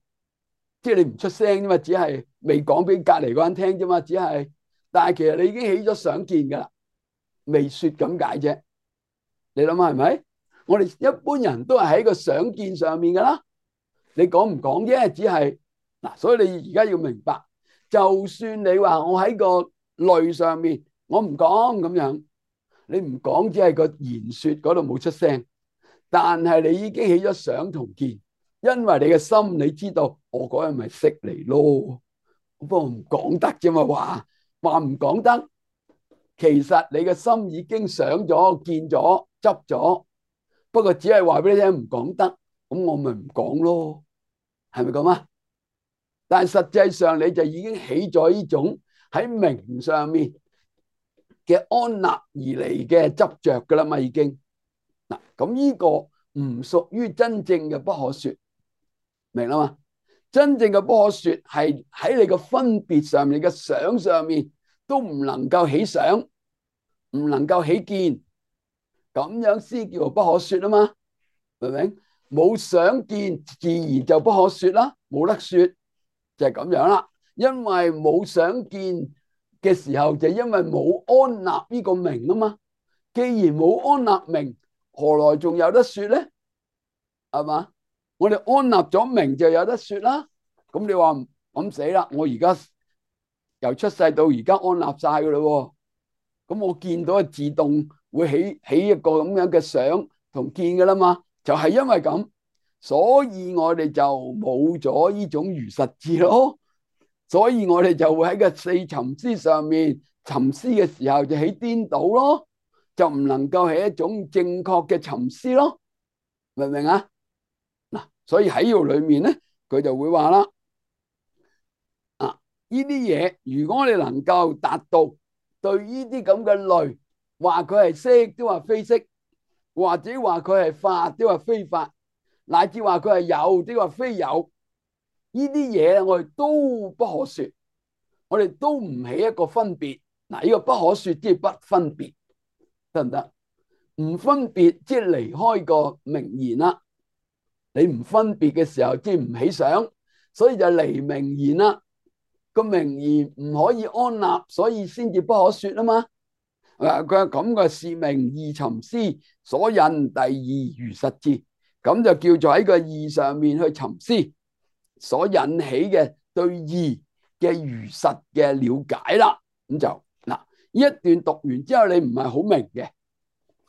即係你唔出聲啫嘛，只係未講俾隔籬嗰人聽啫嘛，只係。但係其實你已經起咗想見噶啦，未說咁解啫。你諗下係咪？我哋一般人都係喺個想見上面噶啦。你講唔講啫？只係嗱，所以你而家要明白，就算你話我喺個類上面，我唔講咁樣，你唔講只係個言說嗰度冇出聲，但係你已經起咗想同見，因為你嘅心你知道，我嗰日咪識嚟咯，不過唔講得啫嘛，話話唔講得，其實你嘅心已經想咗、見咗、執咗，不過只係話俾你聽唔講得，咁我咪唔講咯。係咪咁啊？但係實際上你就已經起咗呢種喺名上面嘅安立而嚟嘅執着噶啦嘛，已經嗱，咁呢個唔屬於真正嘅不可說，明啦嘛？真正嘅不可說係喺你個分別上面、你嘅想上面都唔能夠起想，唔能夠起見，咁樣先叫做不可說啊嘛，明唔明？冇想見，自然就不可說啦，冇得說就係咁樣啦。因為冇想見嘅時候，就因為冇安立呢個名啊嘛。既然冇安立名，何來仲有得說咧？係嘛？我哋安立咗名就有得說啦。咁你話咁死啦？我而家由出世到而家安立晒噶啦，咁我見到自動會起起一個咁樣嘅想同見噶啦嘛。就係因為咁，所以我哋就冇咗呢種如實智咯。所以我哋就會喺個四尋思上面尋思嘅時候就起顛倒咯，就唔能夠係一種正確嘅尋思咯。明唔明啊？嗱，所以喺呢度裏面咧，佢就會話啦，啊，呢啲嘢如果我哋能夠達到對呢啲咁嘅類，話佢係識都話非識，或者話佢係法，即係話非法，乃至話佢係有，即係話非有，呢啲嘢我哋都不可說，我哋都唔起一個分別。嗱，呢個不可說即係不分別，得唔得？唔分別即係離開個名言啦。你唔分別嘅時候，即係唔起想，所以就離名言啦。個名言唔可以安立，所以先至不可說啊嘛。佢係咁嘅是名二尋思所引第二如實智，咁就叫做喺個義上面去尋思所引起嘅對義嘅如實嘅了解啦。咁就嗱，呢一段讀完之後，你唔係好明嘅，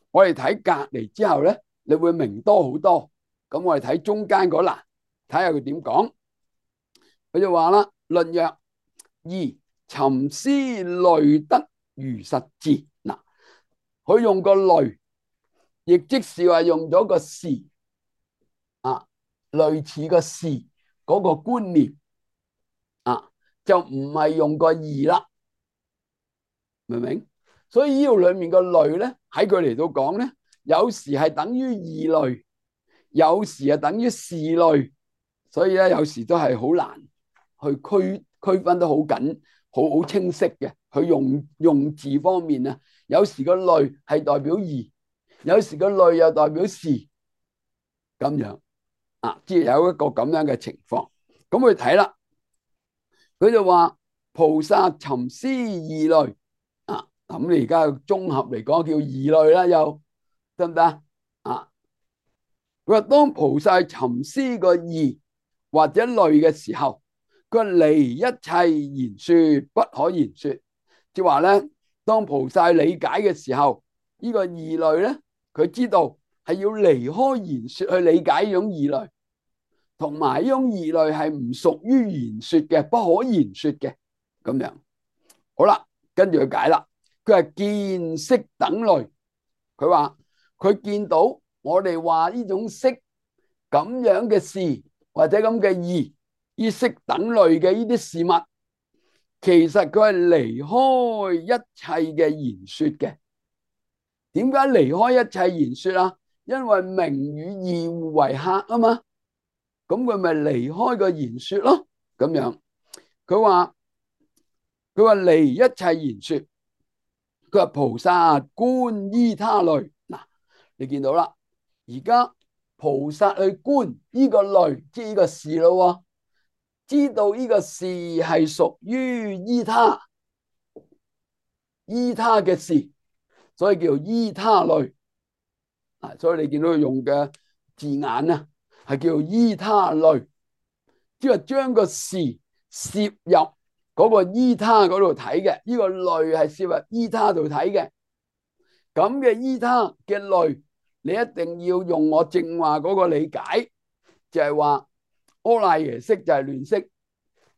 我哋睇隔籬之後咧，你會明多好多。咁我哋睇中間嗰欄，睇下佢點講。佢就話啦：論曰二尋思類得如實智。嗱，佢用個類，亦即是話用咗個事啊，類似個事嗰個觀念啊，就唔係用個義啦，明唔明？所以呢度裏面個類咧，喺佢嚟到講咧，有時係等於義類，有時係等於事類，所以咧有時都係好難去區區分得好緊，好好清晰嘅。佢用用字方面啊，有時個類係代表義，有時個類又代表事，咁樣啊，即係有一個咁樣嘅情況。咁佢睇啦，佢就話菩薩尋思二類啊，咁你而家綜合嚟講叫二類啦，又得唔得啊？佢話當菩薩尋思個義或者類嘅時候，佢離一切言說不可言說，即係話咧，當菩薩理解嘅時候，呢個二類咧，佢知道係要離開言說去理解呢種二類，同埋呢種二類係唔屬於言說嘅，不可言說嘅咁樣。好啦，跟住佢解啦，佢係見識等類，佢話佢見到我哋話呢種識咁樣嘅事或者咁嘅義，呢識等類嘅呢啲事物，其實佢係離開一切嘅言說嘅。點解離開一切言說啊？因為名與義互為客啊嘛。咁佢咪離開個言說咯。咁樣佢話佢話離一切言說，佢話菩薩觀依他類。嗱，你見到啦，而家菩薩去觀呢個類，即係呢個事咯，知道呢個事係屬於依他依他嘅事，所以叫依他類。啊，所以你見到佢用嘅字眼啊，係叫依他類，即係將個事攝入嗰個依他嗰度睇嘅。呢個類係攝入依他度睇嘅。咁嘅依他嘅類，你一定要用我正話嗰個理解，就係話阿賴耶識就係亂識，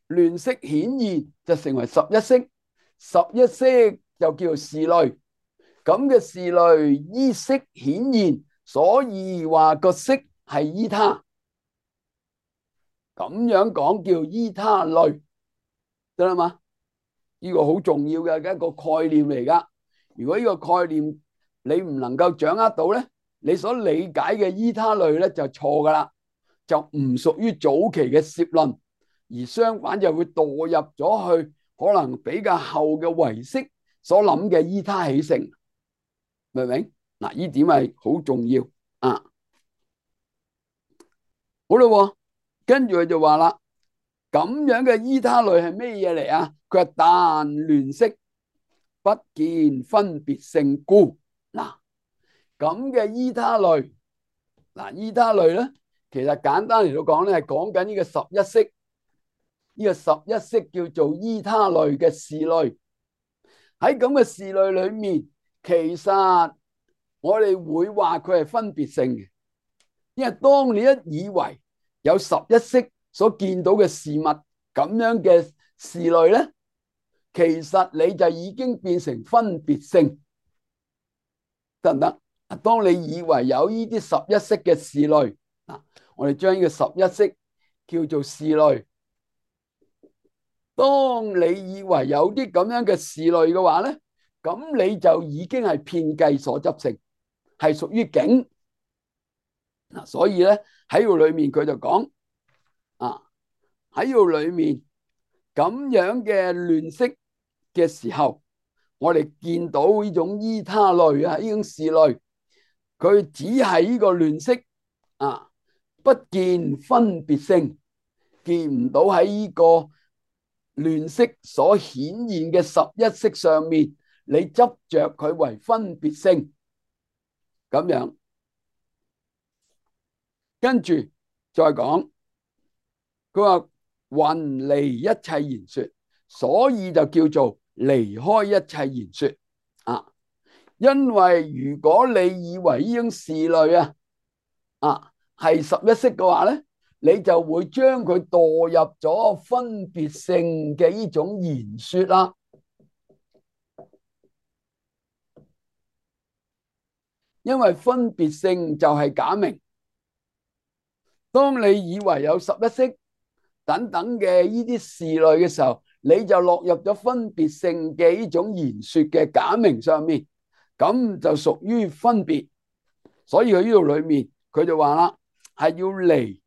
亂識顯現就成為十一識，十一識就叫事類。咁嘅事類依識顯現，所以話個識係依他，咁樣講叫依他類，得啦嘛？呢個好重要嘅一個概念嚟噶。如果呢個概念你唔能夠掌握到咧，你所理解嘅依他類咧就錯噶啦，就唔屬於早期嘅攝論，而相反就會墮入咗去可能比較後嘅唯識所諗嘅依他起性，明唔明？嗱，呢點係好重要啊！好啦，跟住佢就話啦，咁樣嘅依他類係咩嘢嚟啊？佢話但亂識不見分別性故。嗱，咁嘅依他類，嗱，依他類咧，其實簡單嚟到講咧，係講緊呢個十一識，呢個十一識叫做依他類嘅事類。喺咁嘅事類裏面，其實我哋會話佢係分別性嘅，因為當你一以為有十一識所見到嘅事物咁樣嘅事類咧，其實你就已經變成分別性，得唔得？當你以為有呢啲十一識嘅事類，嗱，我哋將呢個十一識叫做事類。當你以為有啲咁樣嘅事類嘅話咧，咁你就已經係遍計所執性，係屬於境。嗱，所以咧喺度裏面佢就講啊，喺度裏面咁樣嘅亂識嘅時候，我哋見到呢種依他類啊，呢種事類，佢只係呢個亂識啊，不見分別性，見唔到喺呢個亂識所顯現嘅十一識上面，你執着佢為分別性咁樣。跟住再講，佢話云離一切言說，所以就叫做離開一切言說啊。因為如果你以為呢種事類啊啊係十一識嘅話咧，你就會將佢墮入咗分別性嘅呢種言說啦。因為分別性就係假名。當你以為有十一識等等嘅呢啲事類嘅時候，你就落入咗分別性嘅呢種言說嘅假名上面，咁就屬於分別。所以佢呢度裏面佢就話啦，係要離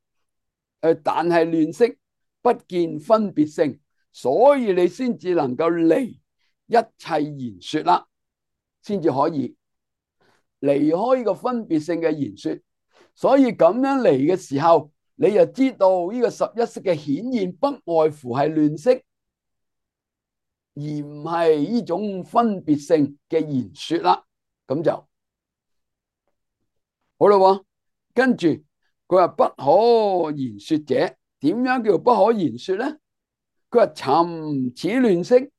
誒，但係亂識不見分別性，所以你先至能夠離一切言說啦，先至可以離開呢個分別性嘅言說。所以咁樣嚟嘅時候，你就知道呢個十一識嘅顯現不外乎係亂識，而唔係呢種分別性嘅言說啦。咁就好啦。跟住佢話不可言說者，點樣叫不可言說咧？佢話尋此亂識，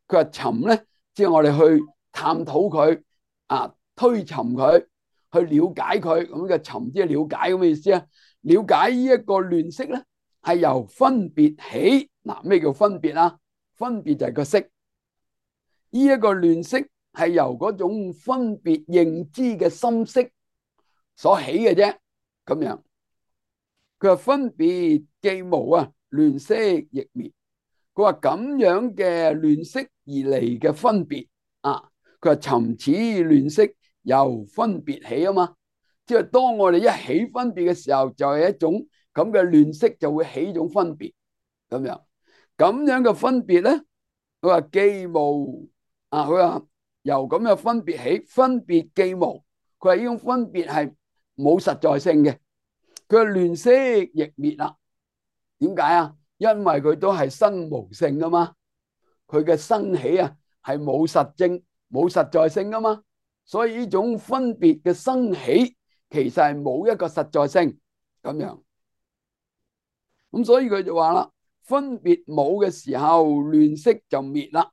佢話尋咧，即係我哋去探討佢啊，推尋佢。去了解佢咁嘅尋，即係了解咁嘅意思啊！了解呢一個亂識咧，係由分別起。嗱，咩叫分別啊？分別就係個識。呢一個亂識係由嗰種分別認知嘅心識所起嘅啫。咁樣，佢話分別既無啊，亂識亦滅。佢話咁樣嘅亂識而嚟嘅分別啊，佢話尋此亂識由分別起啊嘛，即係當我哋一起分別嘅時候，就係一種咁嘅亂色就會起種分別咁樣。咁樣嘅分別咧，佢話既無啊，佢話由咁嘅分別起，分別既無，佢話呢種分別係冇實在性嘅。佢話亂色亦滅啦。點解啊？因為佢都係生無性噶嘛，佢嘅生起啊係冇實證、冇實在性噶嘛，所以呢種分別嘅生起其實係冇一個實在性咁樣。咁所以佢就話啦，分別冇嘅時候，亂色就滅啦。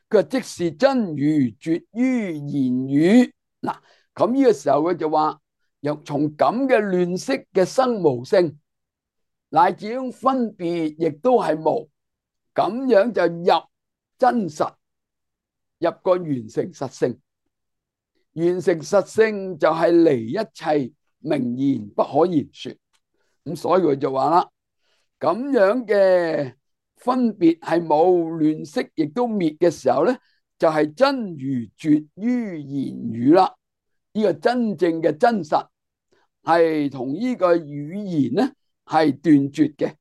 佢話即是真如絕於言語。嗱，咁呢個時候佢就話，由從咁嘅亂色嘅生無性，乃至於分別亦都係無，咁樣就入真實，入個完成實性。完成實性就係離一切名言不可言說。咁所以佢就話啦，咁樣嘅分別係冇，亂色亦都滅嘅時候咧，就係真如絕於言語啦。呢個真正嘅真實係同呢個語言咧係斷絕嘅，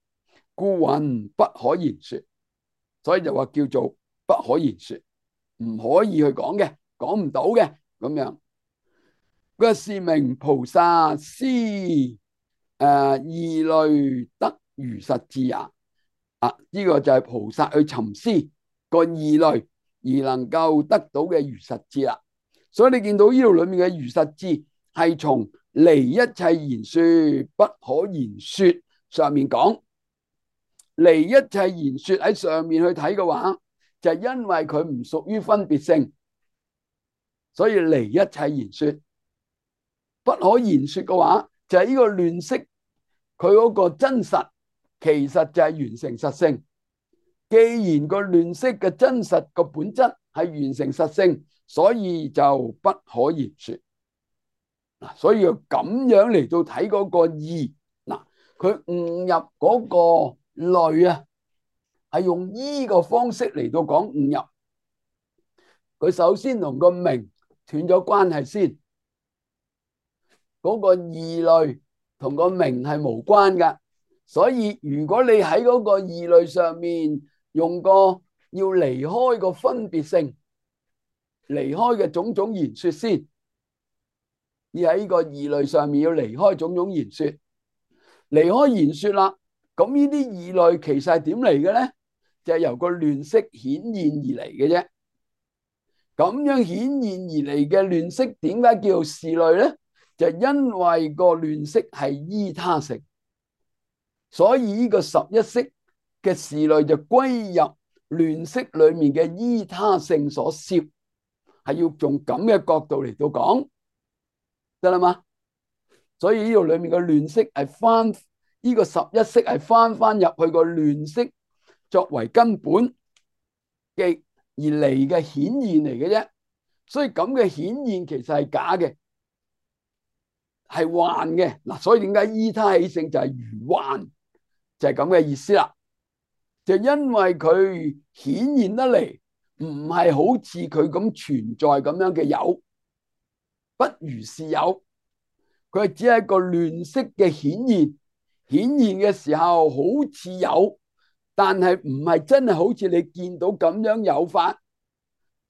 故云不可言說。所以就話叫做不可言說，唔可以去講嘅，講唔到嘅咁樣。嗰個是名菩薩思誒義類得如實智也。啊，呢個就係菩薩去尋思個義類而能夠得到嘅如實智啦。所以你見到呢度裏面嘅如實智係從離一切言說不可言說上面講，離一切言說喺上面去睇嘅話，就係因為佢唔屬於分別性，所以離一切言說。不可言說嘅話，就係呢個亂色佢嗰個真實，其實就係完成實性。既然個亂色嘅真實個本質係完成實性，所以就不可言說。嗱，所以要咁樣嚟到睇嗰個義。嗱，佢悟入嗰個類啊，係用依個方式嚟到講悟入。佢首先同個名斷咗關係先。嗰個義類同個名係無關噶，所以如果你喺嗰個義類上面用個要離開個分別性，離開嘅種種言說先，而喺呢個義類上面要離開種種言說，離開言說啦，咁呢啲義類其實係點嚟嘅咧？就係由個亂色顯現而嚟嘅啫。咁樣顯現而嚟嘅亂色點解叫做事類咧？就因為個亂色係依他性，所以呢個十一識嘅事類就歸入亂色裏面嘅依他性所攝，係要用咁嘅角度嚟到講，得啦嘛？所以呢度裏面嘅亂色係翻呢個十一識係翻翻入去個亂色作為根本嘅而嚟嘅顯現嚟嘅啫，所以咁嘅顯現其實係假嘅。係幻嘅嗱，所以點解依他起性就係如幻，就係咁嘅意思啦。就因為佢顯現得嚟唔係好似佢咁存在咁樣嘅有，不如是有，佢係只係一個亂色嘅顯現。顯現嘅時候好似有，但係唔係真係好似你見到咁樣有法，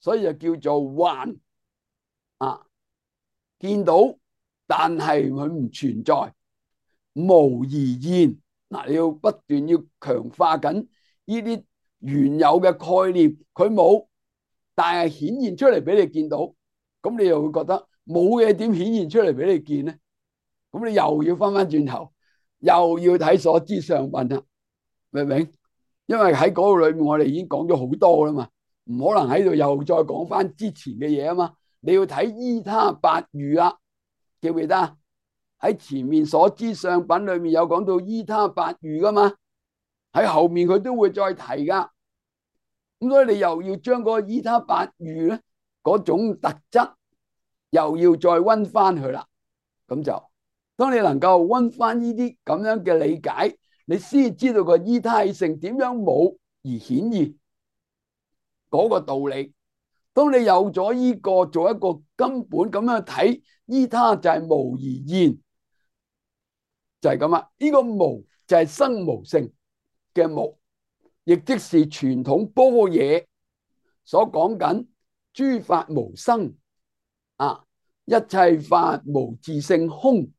所以就叫做幻啊，見到。但係佢唔存在，無而現。嗱，你要不斷要強化緊呢啲原有嘅概念，佢冇，但係顯現出嚟俾你見到，咁你又會覺得冇嘢點顯現出嚟俾你見咧？咁你又要翻翻轉頭，又要睇所知相品啦，明唔明？因為喺嗰個裏面我哋已經講咗好多啦嘛，唔可能喺度又再講翻之前嘅嘢啊嘛。你要睇依他八喻啦。記唔記得喺前面所知相品裏面有講到依他八喻噶嘛？喺後面佢都會再提噶。咁所以你又要將嗰個依他八喻咧嗰種特質又要再溫翻去啦。咁就當你能夠溫翻呢啲咁樣嘅理解，你先知道個依他起性點樣冇而顯現嗰個道理。當你有咗呢個做一個根本咁樣睇，依他就係無而現，就係咁啦。呢個無就係生無性嘅無，亦即是傳統般若所講緊諸法無生啊，一切法無自性空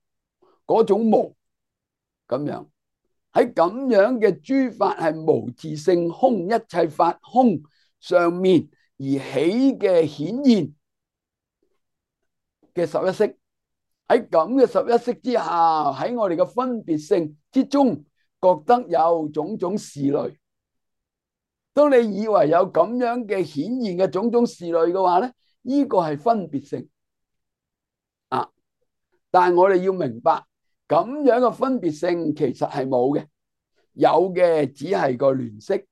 嗰種無。咁樣喺咁樣嘅諸法係無自性空，一切法空上面而起嘅顯現嘅十一識，喺咁嘅十一識之下，喺我哋嘅分別性之中，覺得有種種事類。當你以為有咁樣嘅顯現嘅種種事類嘅話咧，呢個係分別性啊。但係我哋要明白，咁樣嘅分別性其實係冇嘅，有嘅只係個聯識，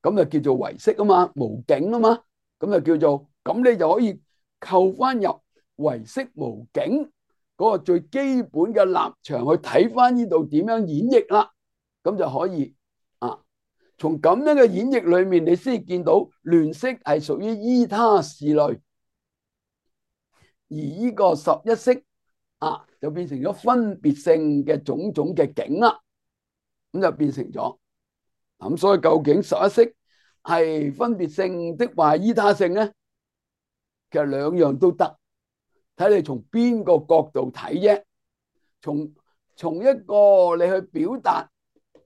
咁就叫做唯識啊嘛，無境啊嘛，咁就叫做，咁你就可以扣翻入唯識無境嗰個最基本嘅立場去睇翻呢度點樣演繹啦，咁就可以啊。從咁樣嘅演繹裏面，你先見到聯識係屬於依他事類，而呢個十一識啊就變成咗分別性嘅種種嘅境啦，咁就變成咗咁。所以究竟十一識係分別性的話依他性咧，其實兩樣都得，睇你從邊個角度睇啫。從從一個你去表達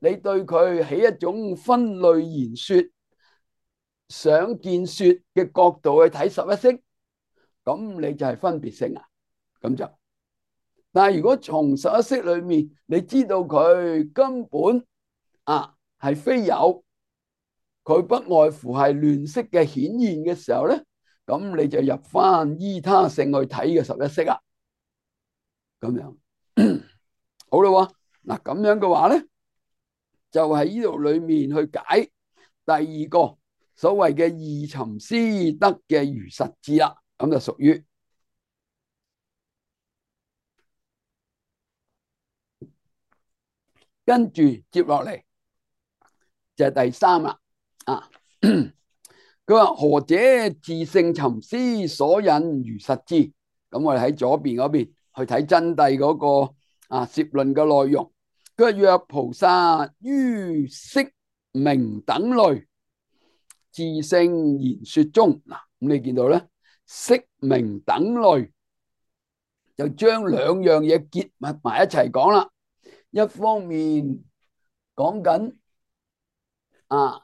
你對佢起一種分類言說、想見說嘅角度去睇十一識，咁你就係分別性啊，咁就。但係如果從十一識裏面，你知道佢根本啊係非有，佢不外乎係亂識嘅顯現嘅時候咧，咁你就入翻依他性去睇嘅十一識啦。咁樣好啦，嗱咁樣嘅話咧，就喺呢度裏面去解第二個所謂嘅二尋思得嘅如實智啦，咁就屬於跟住接落嚟就係第三啦。啊，佢話何者自性尋思所引如實智？咁我哋喺左邊嗰邊去睇真諦嗰個啊攝論嘅內容。佢話若菩薩於識名等類自性言說中，嗱咁你見到咧，識名等類就將兩樣嘢結合埋一齊講啦。一方面講緊啊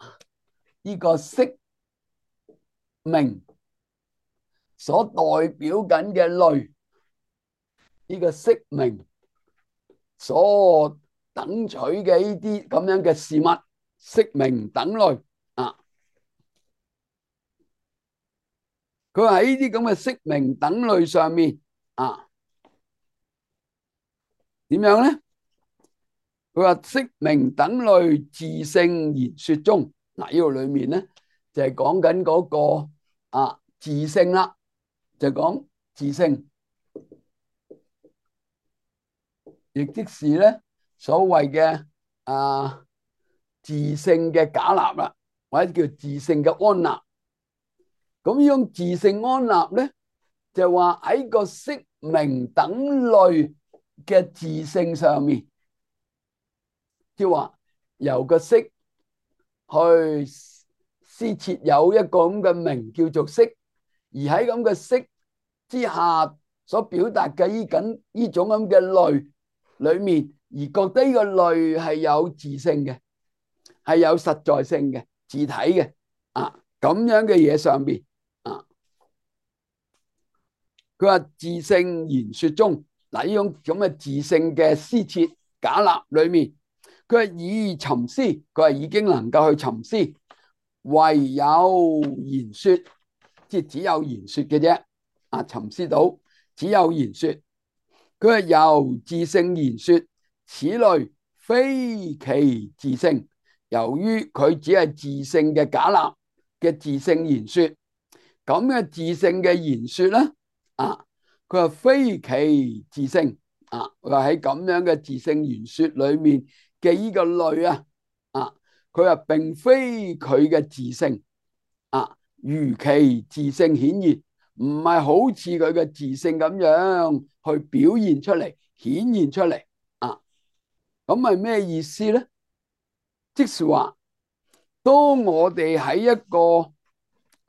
呢個識名所代表緊嘅類，呢個識名所等取嘅呢啲咁樣嘅事物，識名等類啊。佢話喺呢啲咁嘅識名等類上面啊，點樣咧？佢話識名等類自性言說中，嗱呢度裏面咧就係講緊嗰個啊自性啦，就講自性，亦即是咧所謂嘅啊自性嘅假立啦，或者叫自性嘅安立。咁呢種自性安立咧，就話喺個識名等類嘅自性上面，即係話由個識去施設有一個咁嘅名叫做識，而喺咁嘅識之下所表達嘅呢緊呢種咁嘅類裏面，而覺得呢個類係有自性嘅，係有實在性嘅、自體嘅啊咁樣嘅嘢上邊啊，佢話自性言說中，嗱呢種咁嘅自性嘅施設假立裏面。佢係以尋思，佢係已經能夠去尋思，唯有言說，即係只有言說嘅啫。啊，尋思到只有言說，佢係由自性言說，此類非其自性。由於佢只係自性嘅假立嘅自性言說，咁嘅自性嘅言說咧，啊，佢話非其自性。啊，佢話喺咁樣嘅自性言說裏面。嘅呢個類啊，啊，佢話並非佢嘅自性啊，如其自性顯現，唔係好似佢嘅自性咁樣去表現出嚟、顯現出嚟啊。咁係咩意思咧？即是話，當我哋喺一個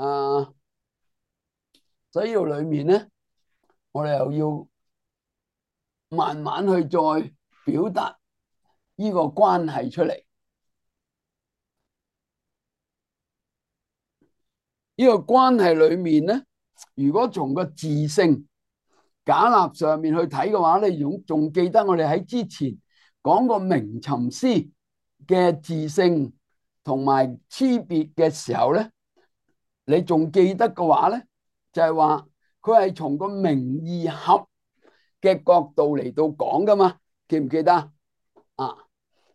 啊需要裏面咧，我哋又要慢慢去再表達呢個關係出嚟。呢個關係裏面咧，如果從個字性假立上面去睇嘅話，你仲仲記得我哋喺之前講過名尋詩嘅字性同埋差別嘅時候咧，你仲記得嘅話咧，就係話佢係從個名義合嘅角度嚟到講噶嘛，記唔記得啊？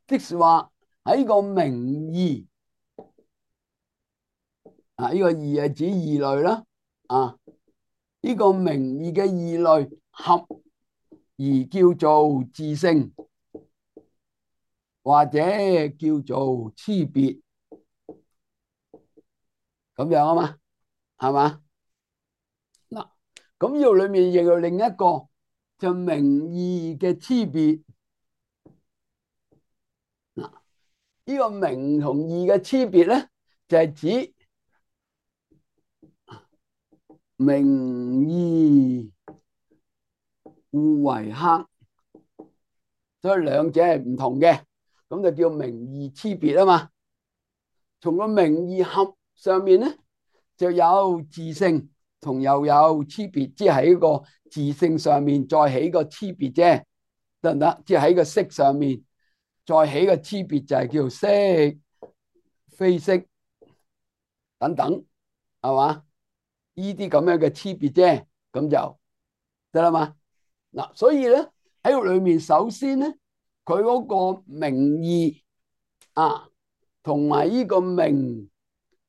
即是話喺個名義啊，呢個義係指義類啦，啊，呢個名義嘅義類合而叫做字性，或者叫做差別，咁樣啊嘛，係嘛？嗱，咁呢度裏面亦有另一個就名義嘅差別。嗱，呢個名同義嘅差別咧，就係指名義互為客，所以兩者係唔同嘅，咁就叫名義差別啊嘛。從個名義合上面咧，就有字性同又有差別，即係喺個字性上面再起個差別啫，得唔得？即係喺個色上面再起個差別，就係叫色非色等等，係嘛？呢啲咁樣嘅差別啫，咁就得啦嘛。嗱，所以咧喺度裏面，首先咧佢嗰個名義啊，同埋呢個名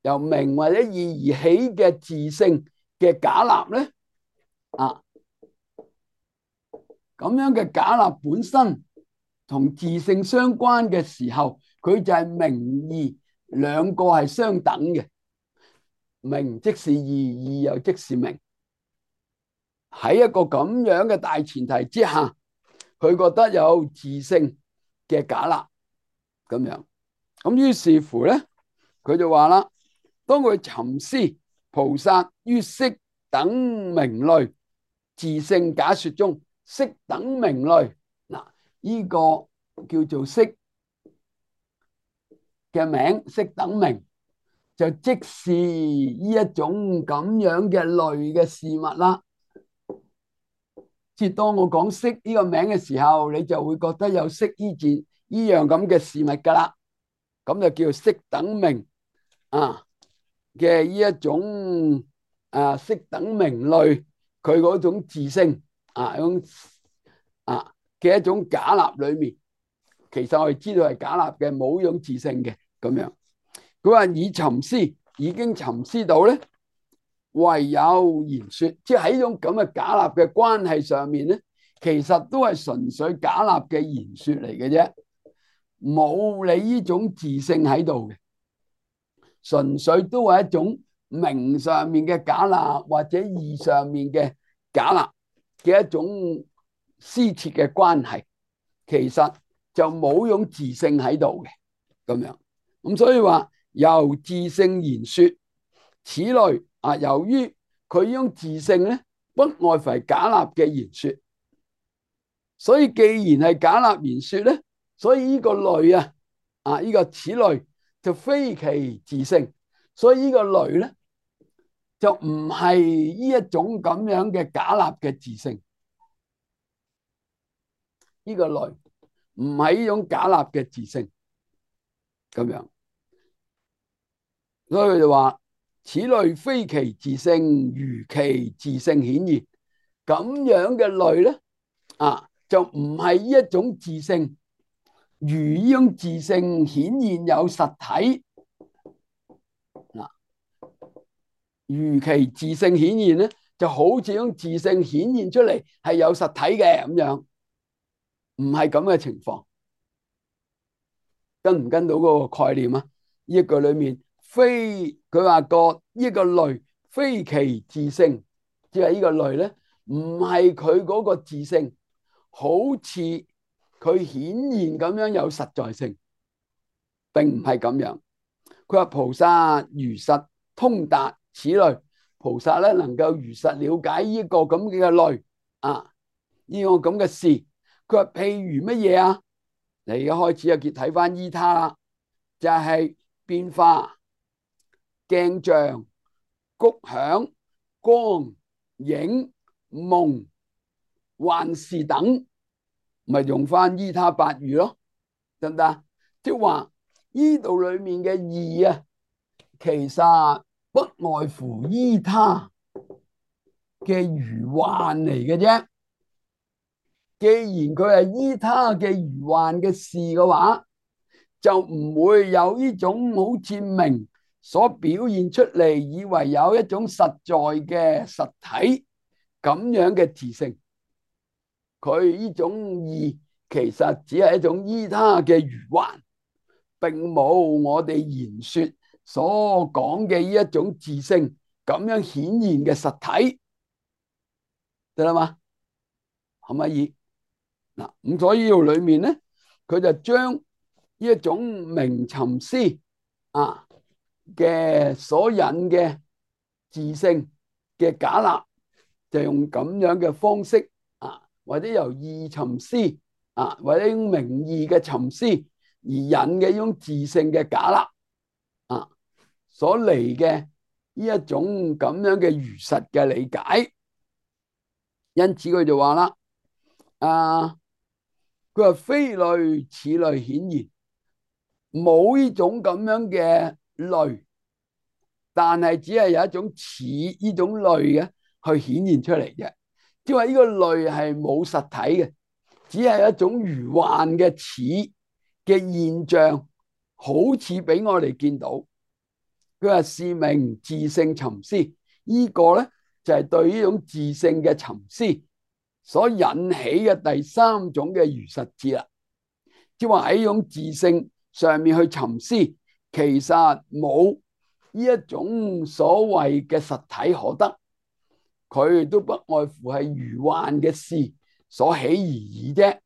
由名或者義而起嘅字性嘅假立咧，啊咁樣嘅假立本身同字性相關嘅時候，佢就係名義兩個係相等嘅，名即是義，義又即是名。喺一個咁樣嘅大前提之下，佢覺得有字性嘅假立咁樣，咁於是乎咧，佢就話啦，當佢尋思菩薩於色等名類自性假說中，色等名類，嗱，呢個叫做色嘅名，色等名就即是呢一種咁樣嘅類嘅事物啦。即係當我講色呢個名嘅時候，你就會覺得有色呢件呢樣咁嘅事物噶啦，咁就叫色等名啊嘅呢一種啊色等名類，佢嗰種自性啊，種啊嘅一種假立裏面，其實我哋知道係假立嘅，冇種自性嘅咁樣。佢話以尋思已經尋思到咧，唯有言說，即係喺呢種咁嘅假立嘅關係上面咧，其實都係純粹假立嘅言說嚟嘅啫，冇你呢種自性喺度嘅，純粹都係一種名上面嘅假立或者義上面嘅假立嘅一種施設嘅關係，其實就冇種自性喺度嘅咁樣。咁所以話由自性言說，此類啊，由於佢呢種自性咧，不外乎係假立嘅言說，所以既然係假立言說咧，所以呢個類啊，啊呢個此類就非其自性，所以呢個類咧就唔係呢一種咁樣嘅假立嘅自性，呢個類唔係呢種假立嘅自性咁樣，所以佢就話。此類非其自性，如其自性顯現，咁樣嘅類咧，啊就唔係呢一種自性，如呢種自性顯現有實體，嗱，如其自性顯現咧，就好似種自性顯現出嚟係有實體嘅咁樣，唔係咁嘅情況，跟唔跟到嗰個概念啊？呢一句裏面。非佢話個呢個類非其自性，即係呢個類咧，唔係佢嗰個自性，好似佢顯然咁樣有實在性，並唔係咁樣。佢話菩薩如實通達此類，菩薩咧能夠如實了解呢個咁嘅類啊，呢個咁嘅事。佢話譬如乜嘢啊？你而家開始啊，結睇翻依他啦，就係、是、變化、鏡像、谷響、光、影、夢、幻視等，咪用翻依他八喻咯，得唔得？即係話呢度裏面嘅義啊，其實不外乎依他嘅餘幻嚟嘅啫。既然佢係依他嘅餘幻嘅事嘅話，就唔會有呢種好似明所表現出嚟，以為有一種實在嘅實體咁樣嘅自性。佢呢種義其實只係一種依他嘅餘幻，並冇我哋言說所講嘅呢一種自性咁樣顯現嘅實體，得啦嘛？可唔可以？嗱，咁所以呢度裏面咧，佢就將呢一種名尋思啊嘅所引嘅自性嘅假立，就用咁樣嘅方式啊，或者由義尋思啊，或者用名義嘅尋思而引嘅呢種自性嘅假立啊，所嚟嘅呢一種咁樣嘅如實嘅理解。因此佢就話啦，啊。佢話非類此類顯現，冇呢種咁樣嘅類，但係只係有一種似呢種類嘅去顯現出嚟嘅。即係話呢個類係冇實體嘅，只係一種餘幻嘅似嘅現象，好似俾我哋見到。佢話是名自性尋思，呢個咧就係對呢種自性嘅尋思所引起嘅第三種嘅如實智啦，即係話喺呢種自性上面去尋思，其實冇呢一種所謂嘅實體可得，佢都不外乎係餘幻嘅事所起而已啫。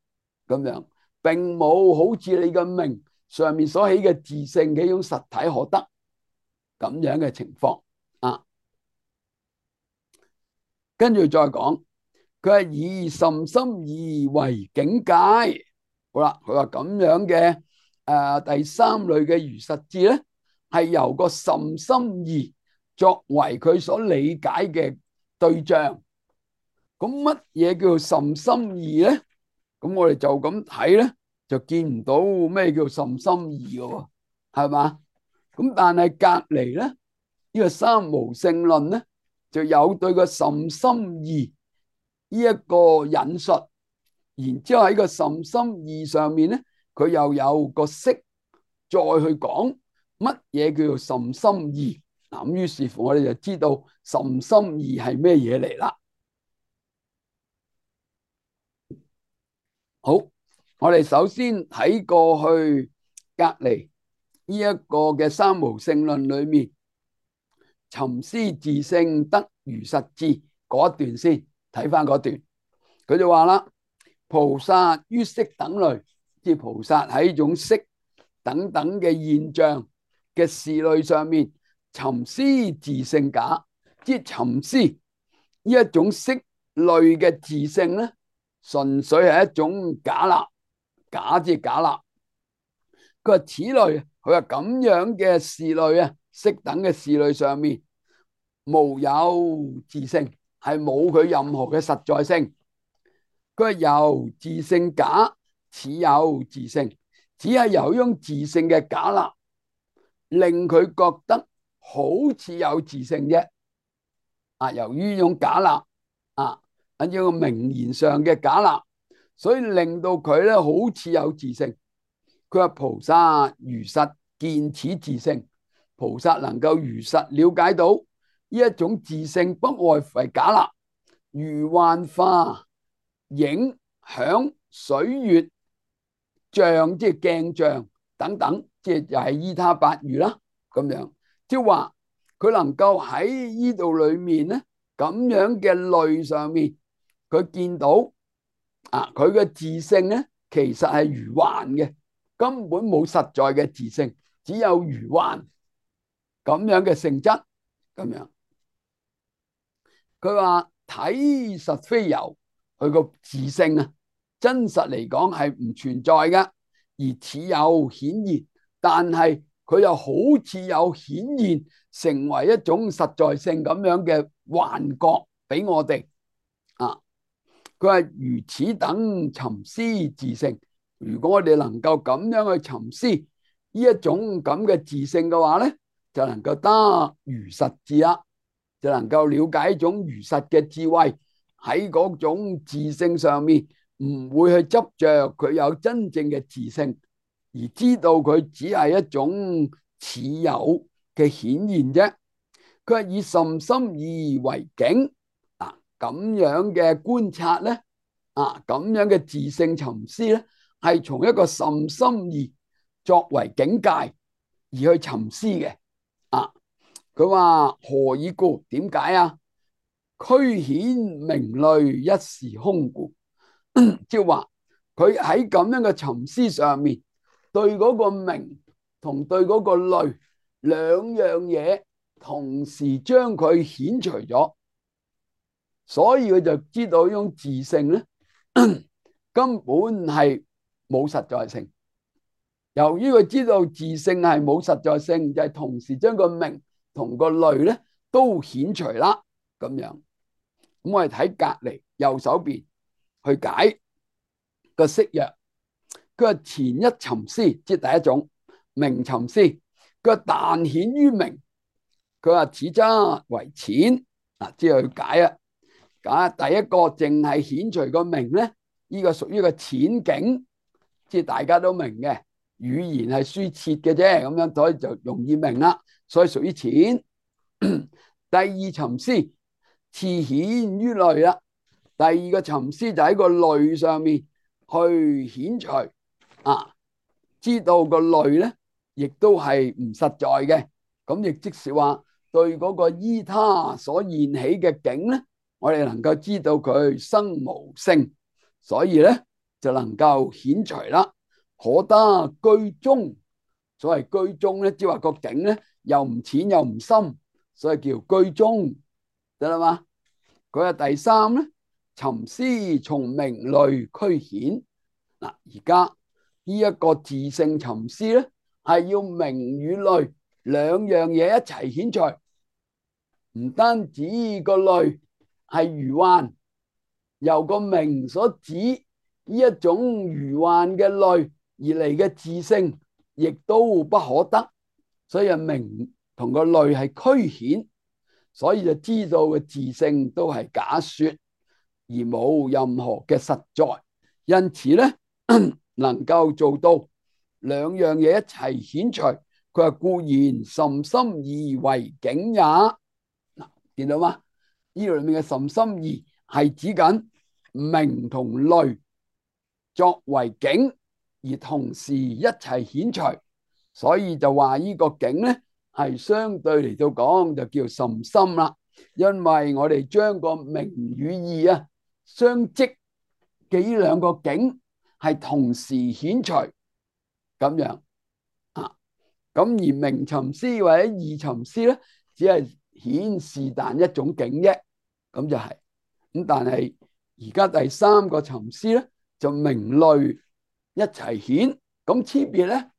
咁樣並冇好似你嘅名上面所起嘅自性嘅一種實體可得咁樣嘅情況啊。跟住再講。佢係以甚深義為境界，好啦，佢話咁樣嘅誒、呃、第三類嘅如實智咧，係由個甚深義作為佢所理解嘅對象。咁乜嘢叫做甚深義咧？咁我哋就咁睇咧，就見唔到咩叫甚深義嘅，係嘛？咁但係隔籬咧，呢、這個三無聖論咧，就有對個甚深義呢一個引述，然之後喺個甚深義上面咧，佢又有個釋再去講乜嘢叫做甚深義。嗱，咁於是乎我哋就知道甚深義係咩嘢嚟啦。好，我哋首先睇過去隔籬呢一個嘅三無聖論裏面，尋思自性得如實智嗰一段先。睇翻嗰段，佢就話啦：菩薩於色等類，即係菩薩喺種色等等嘅現象嘅事類上面，尋思自性假，即係尋思呢一種色類嘅自性咧，純粹係一種假立，假即係假立。佢話此類，佢話咁樣嘅事類啊，色等嘅事類上面，無有自性。係冇佢任何嘅實在性，佢係由自性假似有自性，只係由呢種自性嘅假立，令佢覺得好似有自性啫。啊，由於呢種假立啊，喺呢個名言上嘅假立，所以令到佢咧好似有自性。佢話菩薩如實見此自性，菩薩能夠如實了解到呢一種自性不外乎係假立、餘幻化、影響、水月像，即係鏡像等等，即係又係依他八喻啦。咁樣即係話佢能夠喺呢度裏面咧，咁樣嘅類上面，佢見到啊，佢嘅自性咧其實係如幻嘅，根本冇實在嘅自性，只有如幻咁樣嘅性質咁樣。佢話體實非有，佢個自性啊，真實嚟講係唔存在嘅，而似有顯現，但係佢又好似有顯現，成為一種實在性咁樣嘅幻覺俾我哋啊。佢話如此等尋思自性，如果我哋能夠咁樣去尋思呢一種咁嘅自性嘅話咧，就能夠得如實智啦，就能夠了解一種如實嘅智慧，喺嗰種自性上面唔會去執着佢有真正嘅自性，而知道佢只係一種似有嘅顯現啫。佢係以甚深意為境啊，咁樣嘅觀察咧，啊咁樣嘅自性尋思咧，係從一個甚深意作為境界而去尋思嘅。啊，佢話何以故？點解啊？俱顯名類一時空故，即係話佢喺咁樣嘅尋思上面，對嗰個名同對嗰個類兩樣嘢同時將佢顯除咗，所以佢就知道呢種自性咧根本係冇實在性。由於佢知道自性係冇實在性，就係同時將個名同個類咧都顯除啦。咁樣，咁我哋睇隔籬右手邊去解個釋曰。佢話前一尋思，即係第一種名尋思。佢話但顯於名，佢話此則為淺。嗱，即係去解啊。解第一個淨係顯除個名咧，呢個屬於個淺境，即係大家都明嘅。語言係輸切嘅啫，咁樣所以就容易明啦，所以屬於淺。第二尋思次顯於類啦，第二個尋思就喺個類上面去顯除啊，知道個類咧亦都係唔實在嘅，咁亦即是話對嗰個依他所現起嘅境咧，我哋能夠知道佢生無性，所以咧就能夠顯除啦。可得居中，所謂居中咧，即係話個境咧又唔淺又唔深，所以叫居中，得啦嘛。佢係第三咧，尋思從名類俱顯。嗱，而家呢一個自性尋思咧，係要名與類兩樣嘢一齊顯除，唔單止個類係如幻，由個名所指呢一種如幻嘅類而嚟嘅自性，亦都不可得，所以名同個類係俱顯，所以就知道嘅自性都係假說，而冇任何嘅實在。因此咧，能夠做到兩樣嘢一齊顯除，佢話固然甚深意為境也。嗱，見到嗎？呢度裏面嘅甚深意係指緊名同類作為境，而同時一齊顯除，所以就話呢個境咧係相對嚟到講就叫甚深啦。因為我哋將個名與義啊相即嘅呢兩個境係同時顯除咁樣啊。咁而名尋思或者義尋思咧，只係顯是但一種境啫，咁就係、是、咁。但係而家第三個尋思咧，就名類一齊顯，咁差別咧，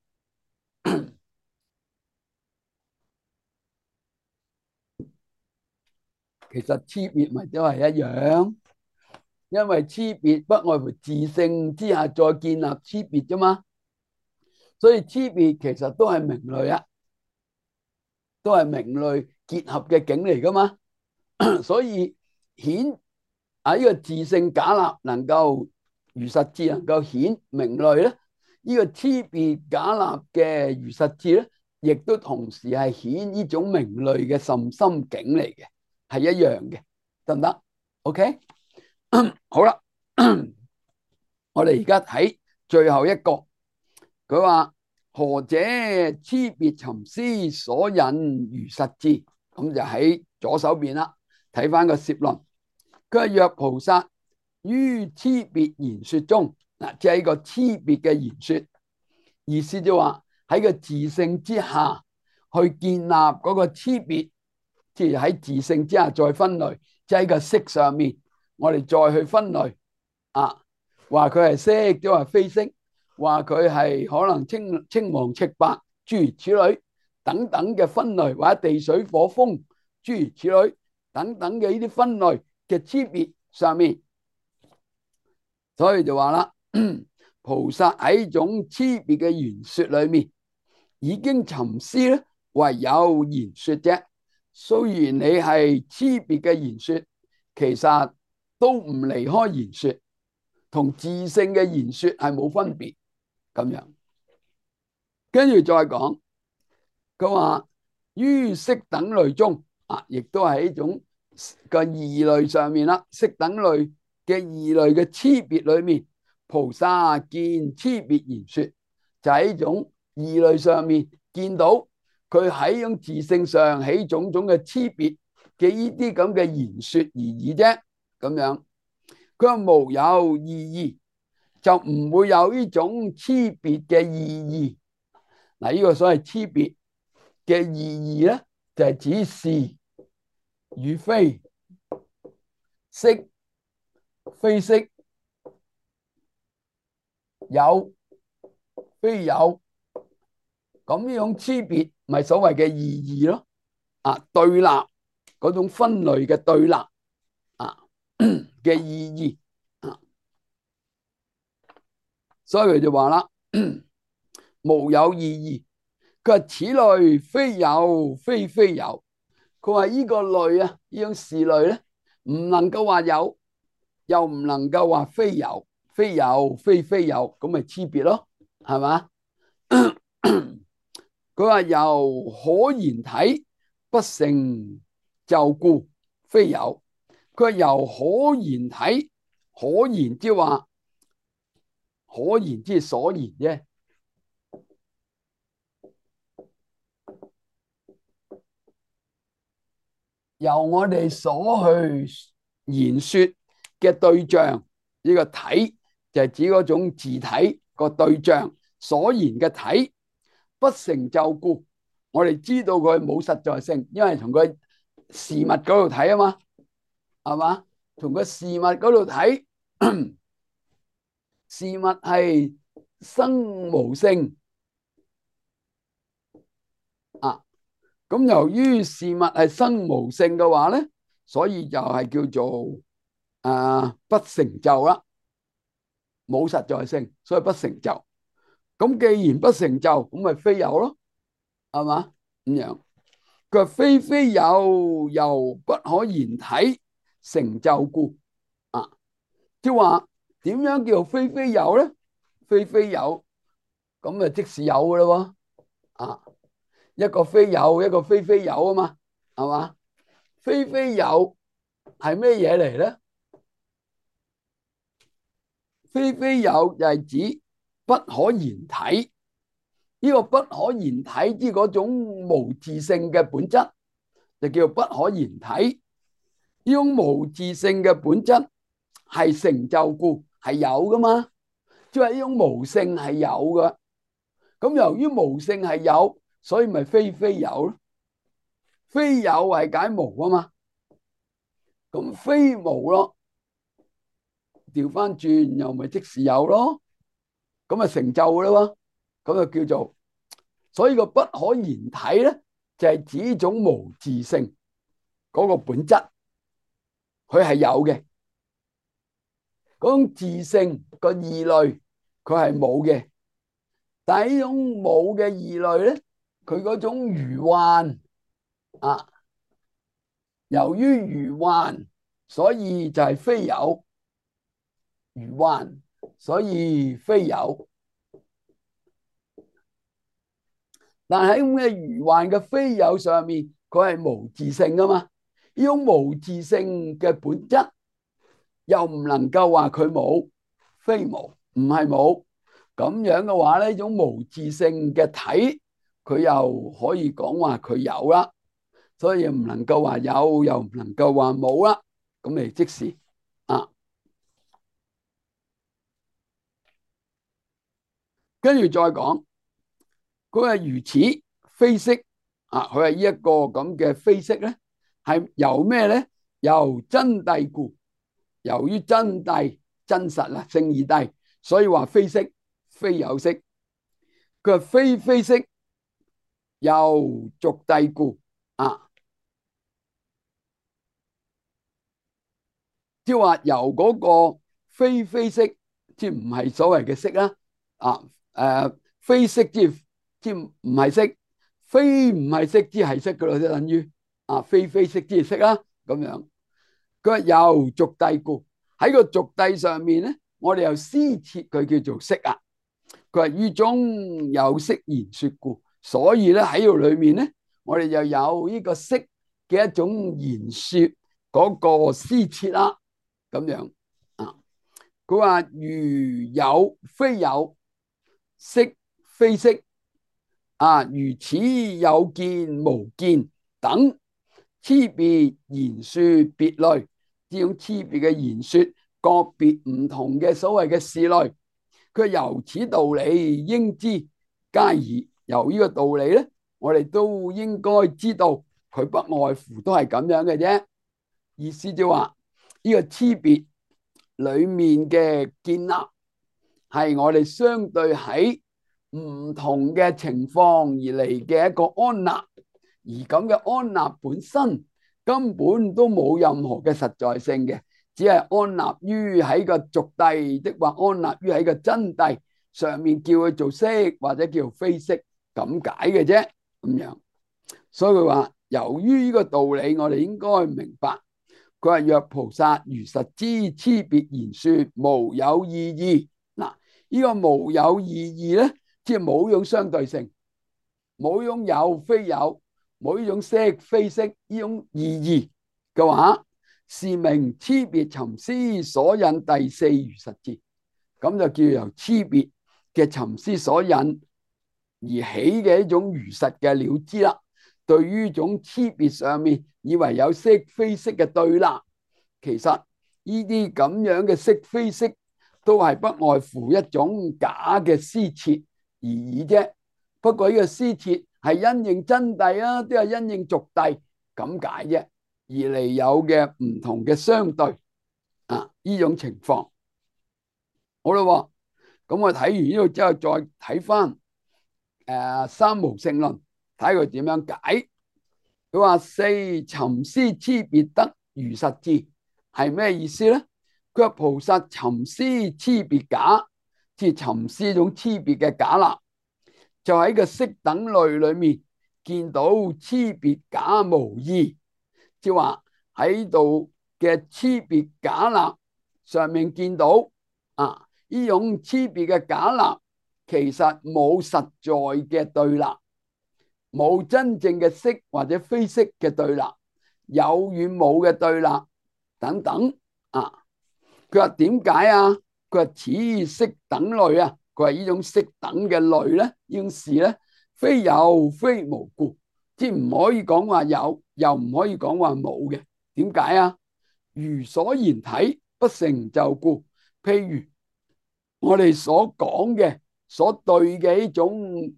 其實差別咪都係一樣，因為差別不外乎自性之下再建立差別啫嘛，所以差別其實都係名類啊，都係名類結合嘅境嚟噶嘛，所以顯啊呢個自性假立能夠如實智能夠顯名類咧，呢個差別假立嘅如實智咧，亦都同時係顯呢種名類嘅甚深境嚟嘅，係一樣嘅，得唔得 ？OK， 好啦，我哋而家睇最後一個，佢話何者差別尋思所引如實智？咁就喺左手邊啦，睇翻個攝論。佢話若菩薩於差別言說中，嗱，即係一個差別嘅言說，意思就話喺個自性之下去建立嗰個差別，即係喺自性之下再分類，即係喺個色上面，我哋再去分類啊，話佢係色，即係話非色，話佢係可能青青黃赤白，諸如此類等等嘅分類，或者地水火風，諸如此類等等嘅呢啲分類嘅差別上面，所以就話啦，菩薩喺呢種差別嘅言說裏面，已經尋思咧，唯有言說啫。雖然你係差別嘅言說，其實都唔離開言說，同自性嘅言說係冇分別咁樣。跟住再講，佢話於色等類中啊，亦都係一種個異類上面啦。色等類嘅異類嘅差別裏面，菩薩見差別言說，就喺呢種異類上面見到佢喺種自性上起種種嘅差別嘅呢啲咁嘅言說而已啫。咁樣佢話無有異義，就唔會有呢種差別嘅意義。嗱，呢個所謂差別嘅意義咧，就係指是與非、色非色、有非有，咁呢種差別咪所謂嘅意義咯。啊，對立嗰種分類嘅對立啊嘅意義啊，所以佢就話啦，無有異義。佢話此類非有非非有，佢話呢個類啊，呢種事類咧，唔能夠話有，又唔能夠話非有，非有非非有，咁咪差別咯，係嘛？佢話由可言體不成就故非有。佢話由可言體，可言即係話可言即係所言啫。由我哋所去言說嘅對象，呢個體就係指嗰種自體個對象所言嘅體不成就故，我哋知道佢冇實在性，因為從佢事物嗰度睇啊嘛，係嘛？從個事物嗰度睇，事物係生無性啊。咁由於事物係生無性嘅話咧，所以就係叫做啊不成就啦，冇實在性，所以不成就。咁既然不成就，咁咪非有咯，係嘛？咁樣佢話非非有，由不可言體成就故啊，即係話點樣叫非非有咧？非非有咁啊，即是有噶啦喎啊！一個非有，一個非非有啊嘛，係嘛？非非有係咩嘢嚟咧？非非有就係指不可言體，呢個不可言體之嗰種無自性嘅本質，就叫不可言體。呢種無自性嘅本質係成就故，係有噶嘛？即係呢種無性係有噶。咁由於無性係有，所以咪非非有咯。非有係解無啊嘛，咁非無咯，調翻轉又咪即是有咯，咁啊成就啦喎，咁就叫做，所以個不可言體咧，就係指種無自性嗰個本質，佢係有嘅，嗰種自性個異類佢係冇嘅，但係呢種冇嘅異類咧，佢嗰種餘患啊，由於餘患，所以就係非有，餘患所以非有。但喺咁嘅餘患嘅非有上面，佢係無自性噶嘛？呢種無自性嘅本質，又唔能夠話佢冇，非無，唔係冇。咁樣嘅話呢，呢種無自性嘅體，佢又可以講話佢有啦。所以唔能夠話有，又唔能夠話冇啦。咁咪即是啊。跟住再講，佢話如此非色啊，佢話呢一個咁嘅非色咧，係由咩咧？由真諦故，由於真諦真實啦，聖義諦，所以話非色非有色。佢話非非色由俗諦故啊，即係話由嗰個非非色，即唔係所謂嘅色啦。啊，誒，非色即即唔係色，非唔係色即係色噶咯，即等於啊，非非色即係色啦。咁樣，佢話由俗諦故，喺個俗諦上面咧，我哋又施設佢叫做色啊。佢話於中有色言說故，所以咧喺度裏面咧，我哋又有呢個色嘅一種言說嗰個施設啦。咁樣啊，佢話如有非有，色非色啊，如此有見無見等，差別言說別類，呢種差別嘅言說個別唔同嘅所謂嘅事類，佢由此道理應知皆矣。由呢個道理咧，我哋都應該知道佢不外乎都係咁樣嘅啫。意思就話呢個差別裏面嘅建立係我哋相對喺唔同嘅情況而嚟嘅一個安立，而咁嘅安立本身根本都冇任何嘅實在性嘅，只係安立於喺個俗諦，即或安立於喺個真諦上面，叫佢做色或者叫非色咁解嘅啫。咁樣，所以佢話由於呢個道理，我哋應該明白。佢話若菩薩如實知差別言說無有異義，嗱，呢個無有異義咧，即係冇用相對性，冇用有非有，冇呢種色非色呢種異義嘅話，是名差別尋思所引第四如實智，咁就叫由差別嘅尋思所引而起嘅一種如實嘅了知啦。對於種差別上面以為有色非色嘅對立，其實呢啲咁樣嘅色非色都係不外乎一種假嘅施設而已啫。不過呢個施設係因應真諦啊，都係因應俗諦咁解啫，而嚟有嘅唔同嘅相對啊，呢種情況。好啦，咁我睇完呢度之後，再睇翻誒三無性論，睇佢點樣解。佢話四尋思差別得如實智係咩意思咧？佢話菩薩尋思差別假，即係尋思種差別嘅假立，就喺個色等類裏面見到差別假無異，即係話喺度嘅差別假立上面見到啊，呢種差別嘅假立其實冇實在嘅對立，冇真正嘅色或者非色嘅對立，有與冇嘅對立等等啊。佢話點解啊？佢話此色等類啊，佢話呢種色等嘅類咧，呢種事咧，非有非無故，即係唔可以講話有，又唔可以講話冇嘅。點解啊？如所言體不成就故。譬如我哋所講嘅所對嘅呢種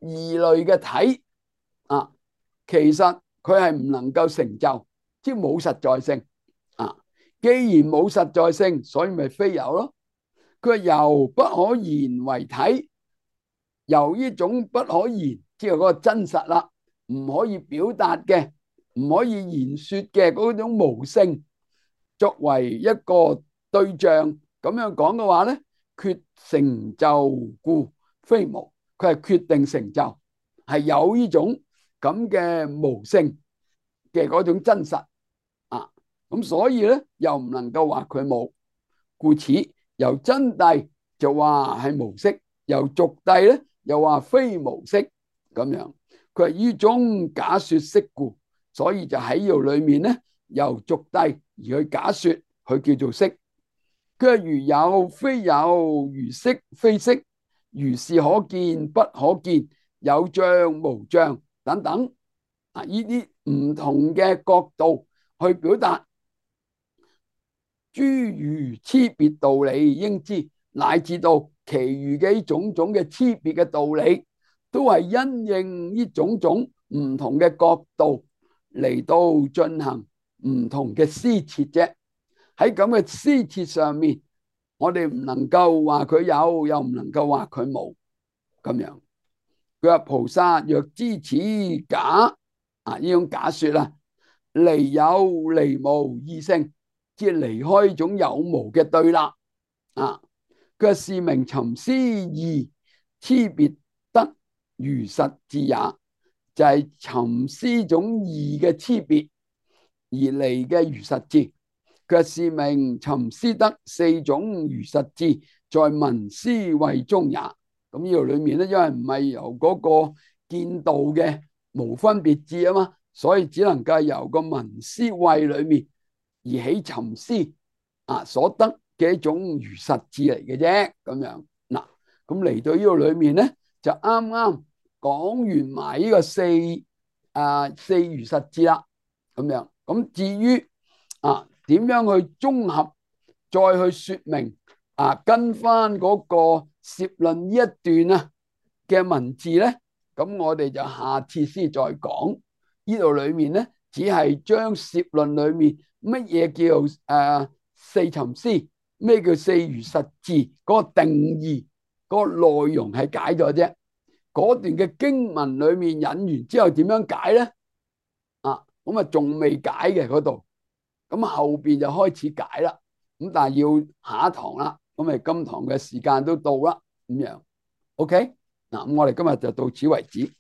異類嘅體啊，其實佢係唔能夠成就，即係冇實在性啊。既然冇實在性，所以咪非有咯。佢話由不可言為體，由呢種不可言，即係嗰個真實啦，唔可以表達嘅，唔可以言說嘅嗰種無性，作為一個對象咁樣講嘅話咧，決成就故非無。佢係決定成就，係有呢種咁嘅無性嘅嗰種真實啊。咁所以咧，又唔能夠話佢冇，故此由真諦就話係無色，由俗諦咧又話非無色咁樣。佢係於中假說色故，所以就喺呢度裏面咧，由俗諦而去假說，佢叫做色。佢係如有非有，如色非色，如是可見不可見，有像無像等等啊！呢啲唔同嘅角度去表達諸如差別道理應知，乃至到其餘嘅種種嘅差別嘅道理，都係因應呢種種唔同嘅角度嚟到進行唔同嘅施設啫。喺咁嘅施設上面，我哋唔能夠話佢有，又唔能夠話佢冇咁樣。佢話菩薩若知此假啊，呢種假說啦，離有離無二性，即係離開呢種有無嘅對立啊。佢話是名尋思異，差別得如實智也，就係尋思種異嘅差別而嚟嘅如實智。佢話是名尋思得四種如實智，在聞思慧中也。咁呢度裏面咧，因為唔係由嗰個見道嘅無分別智啊嘛，所以只能夠由個聞思慧裏面而起尋思啊所得嘅一種如實智嚟嘅啫。咁樣嗱，咁嚟到呢度裏面咧，就啱啱講完埋呢個四啊四如實智啦。咁樣咁至於啊點樣去綜合再去說明啊，跟翻嗰個攝論呢一段啊嘅文字咧，咁我哋就下次先再講。呢度裏面咧，只係將攝論裏面乜嘢叫誒、呃、四尋思，咩叫四如實智嗰個定義，嗰、嗰個內容係解咗啫。嗰段嘅經文裏面引完之後點樣解咧？啊，咁啊仲未解嘅嗰度，咁後邊就開始解啦。咁但係要下一堂啦，咁咪今堂嘅時間都到啦，咁樣 OK 嗱，咁我哋今日就到此為止。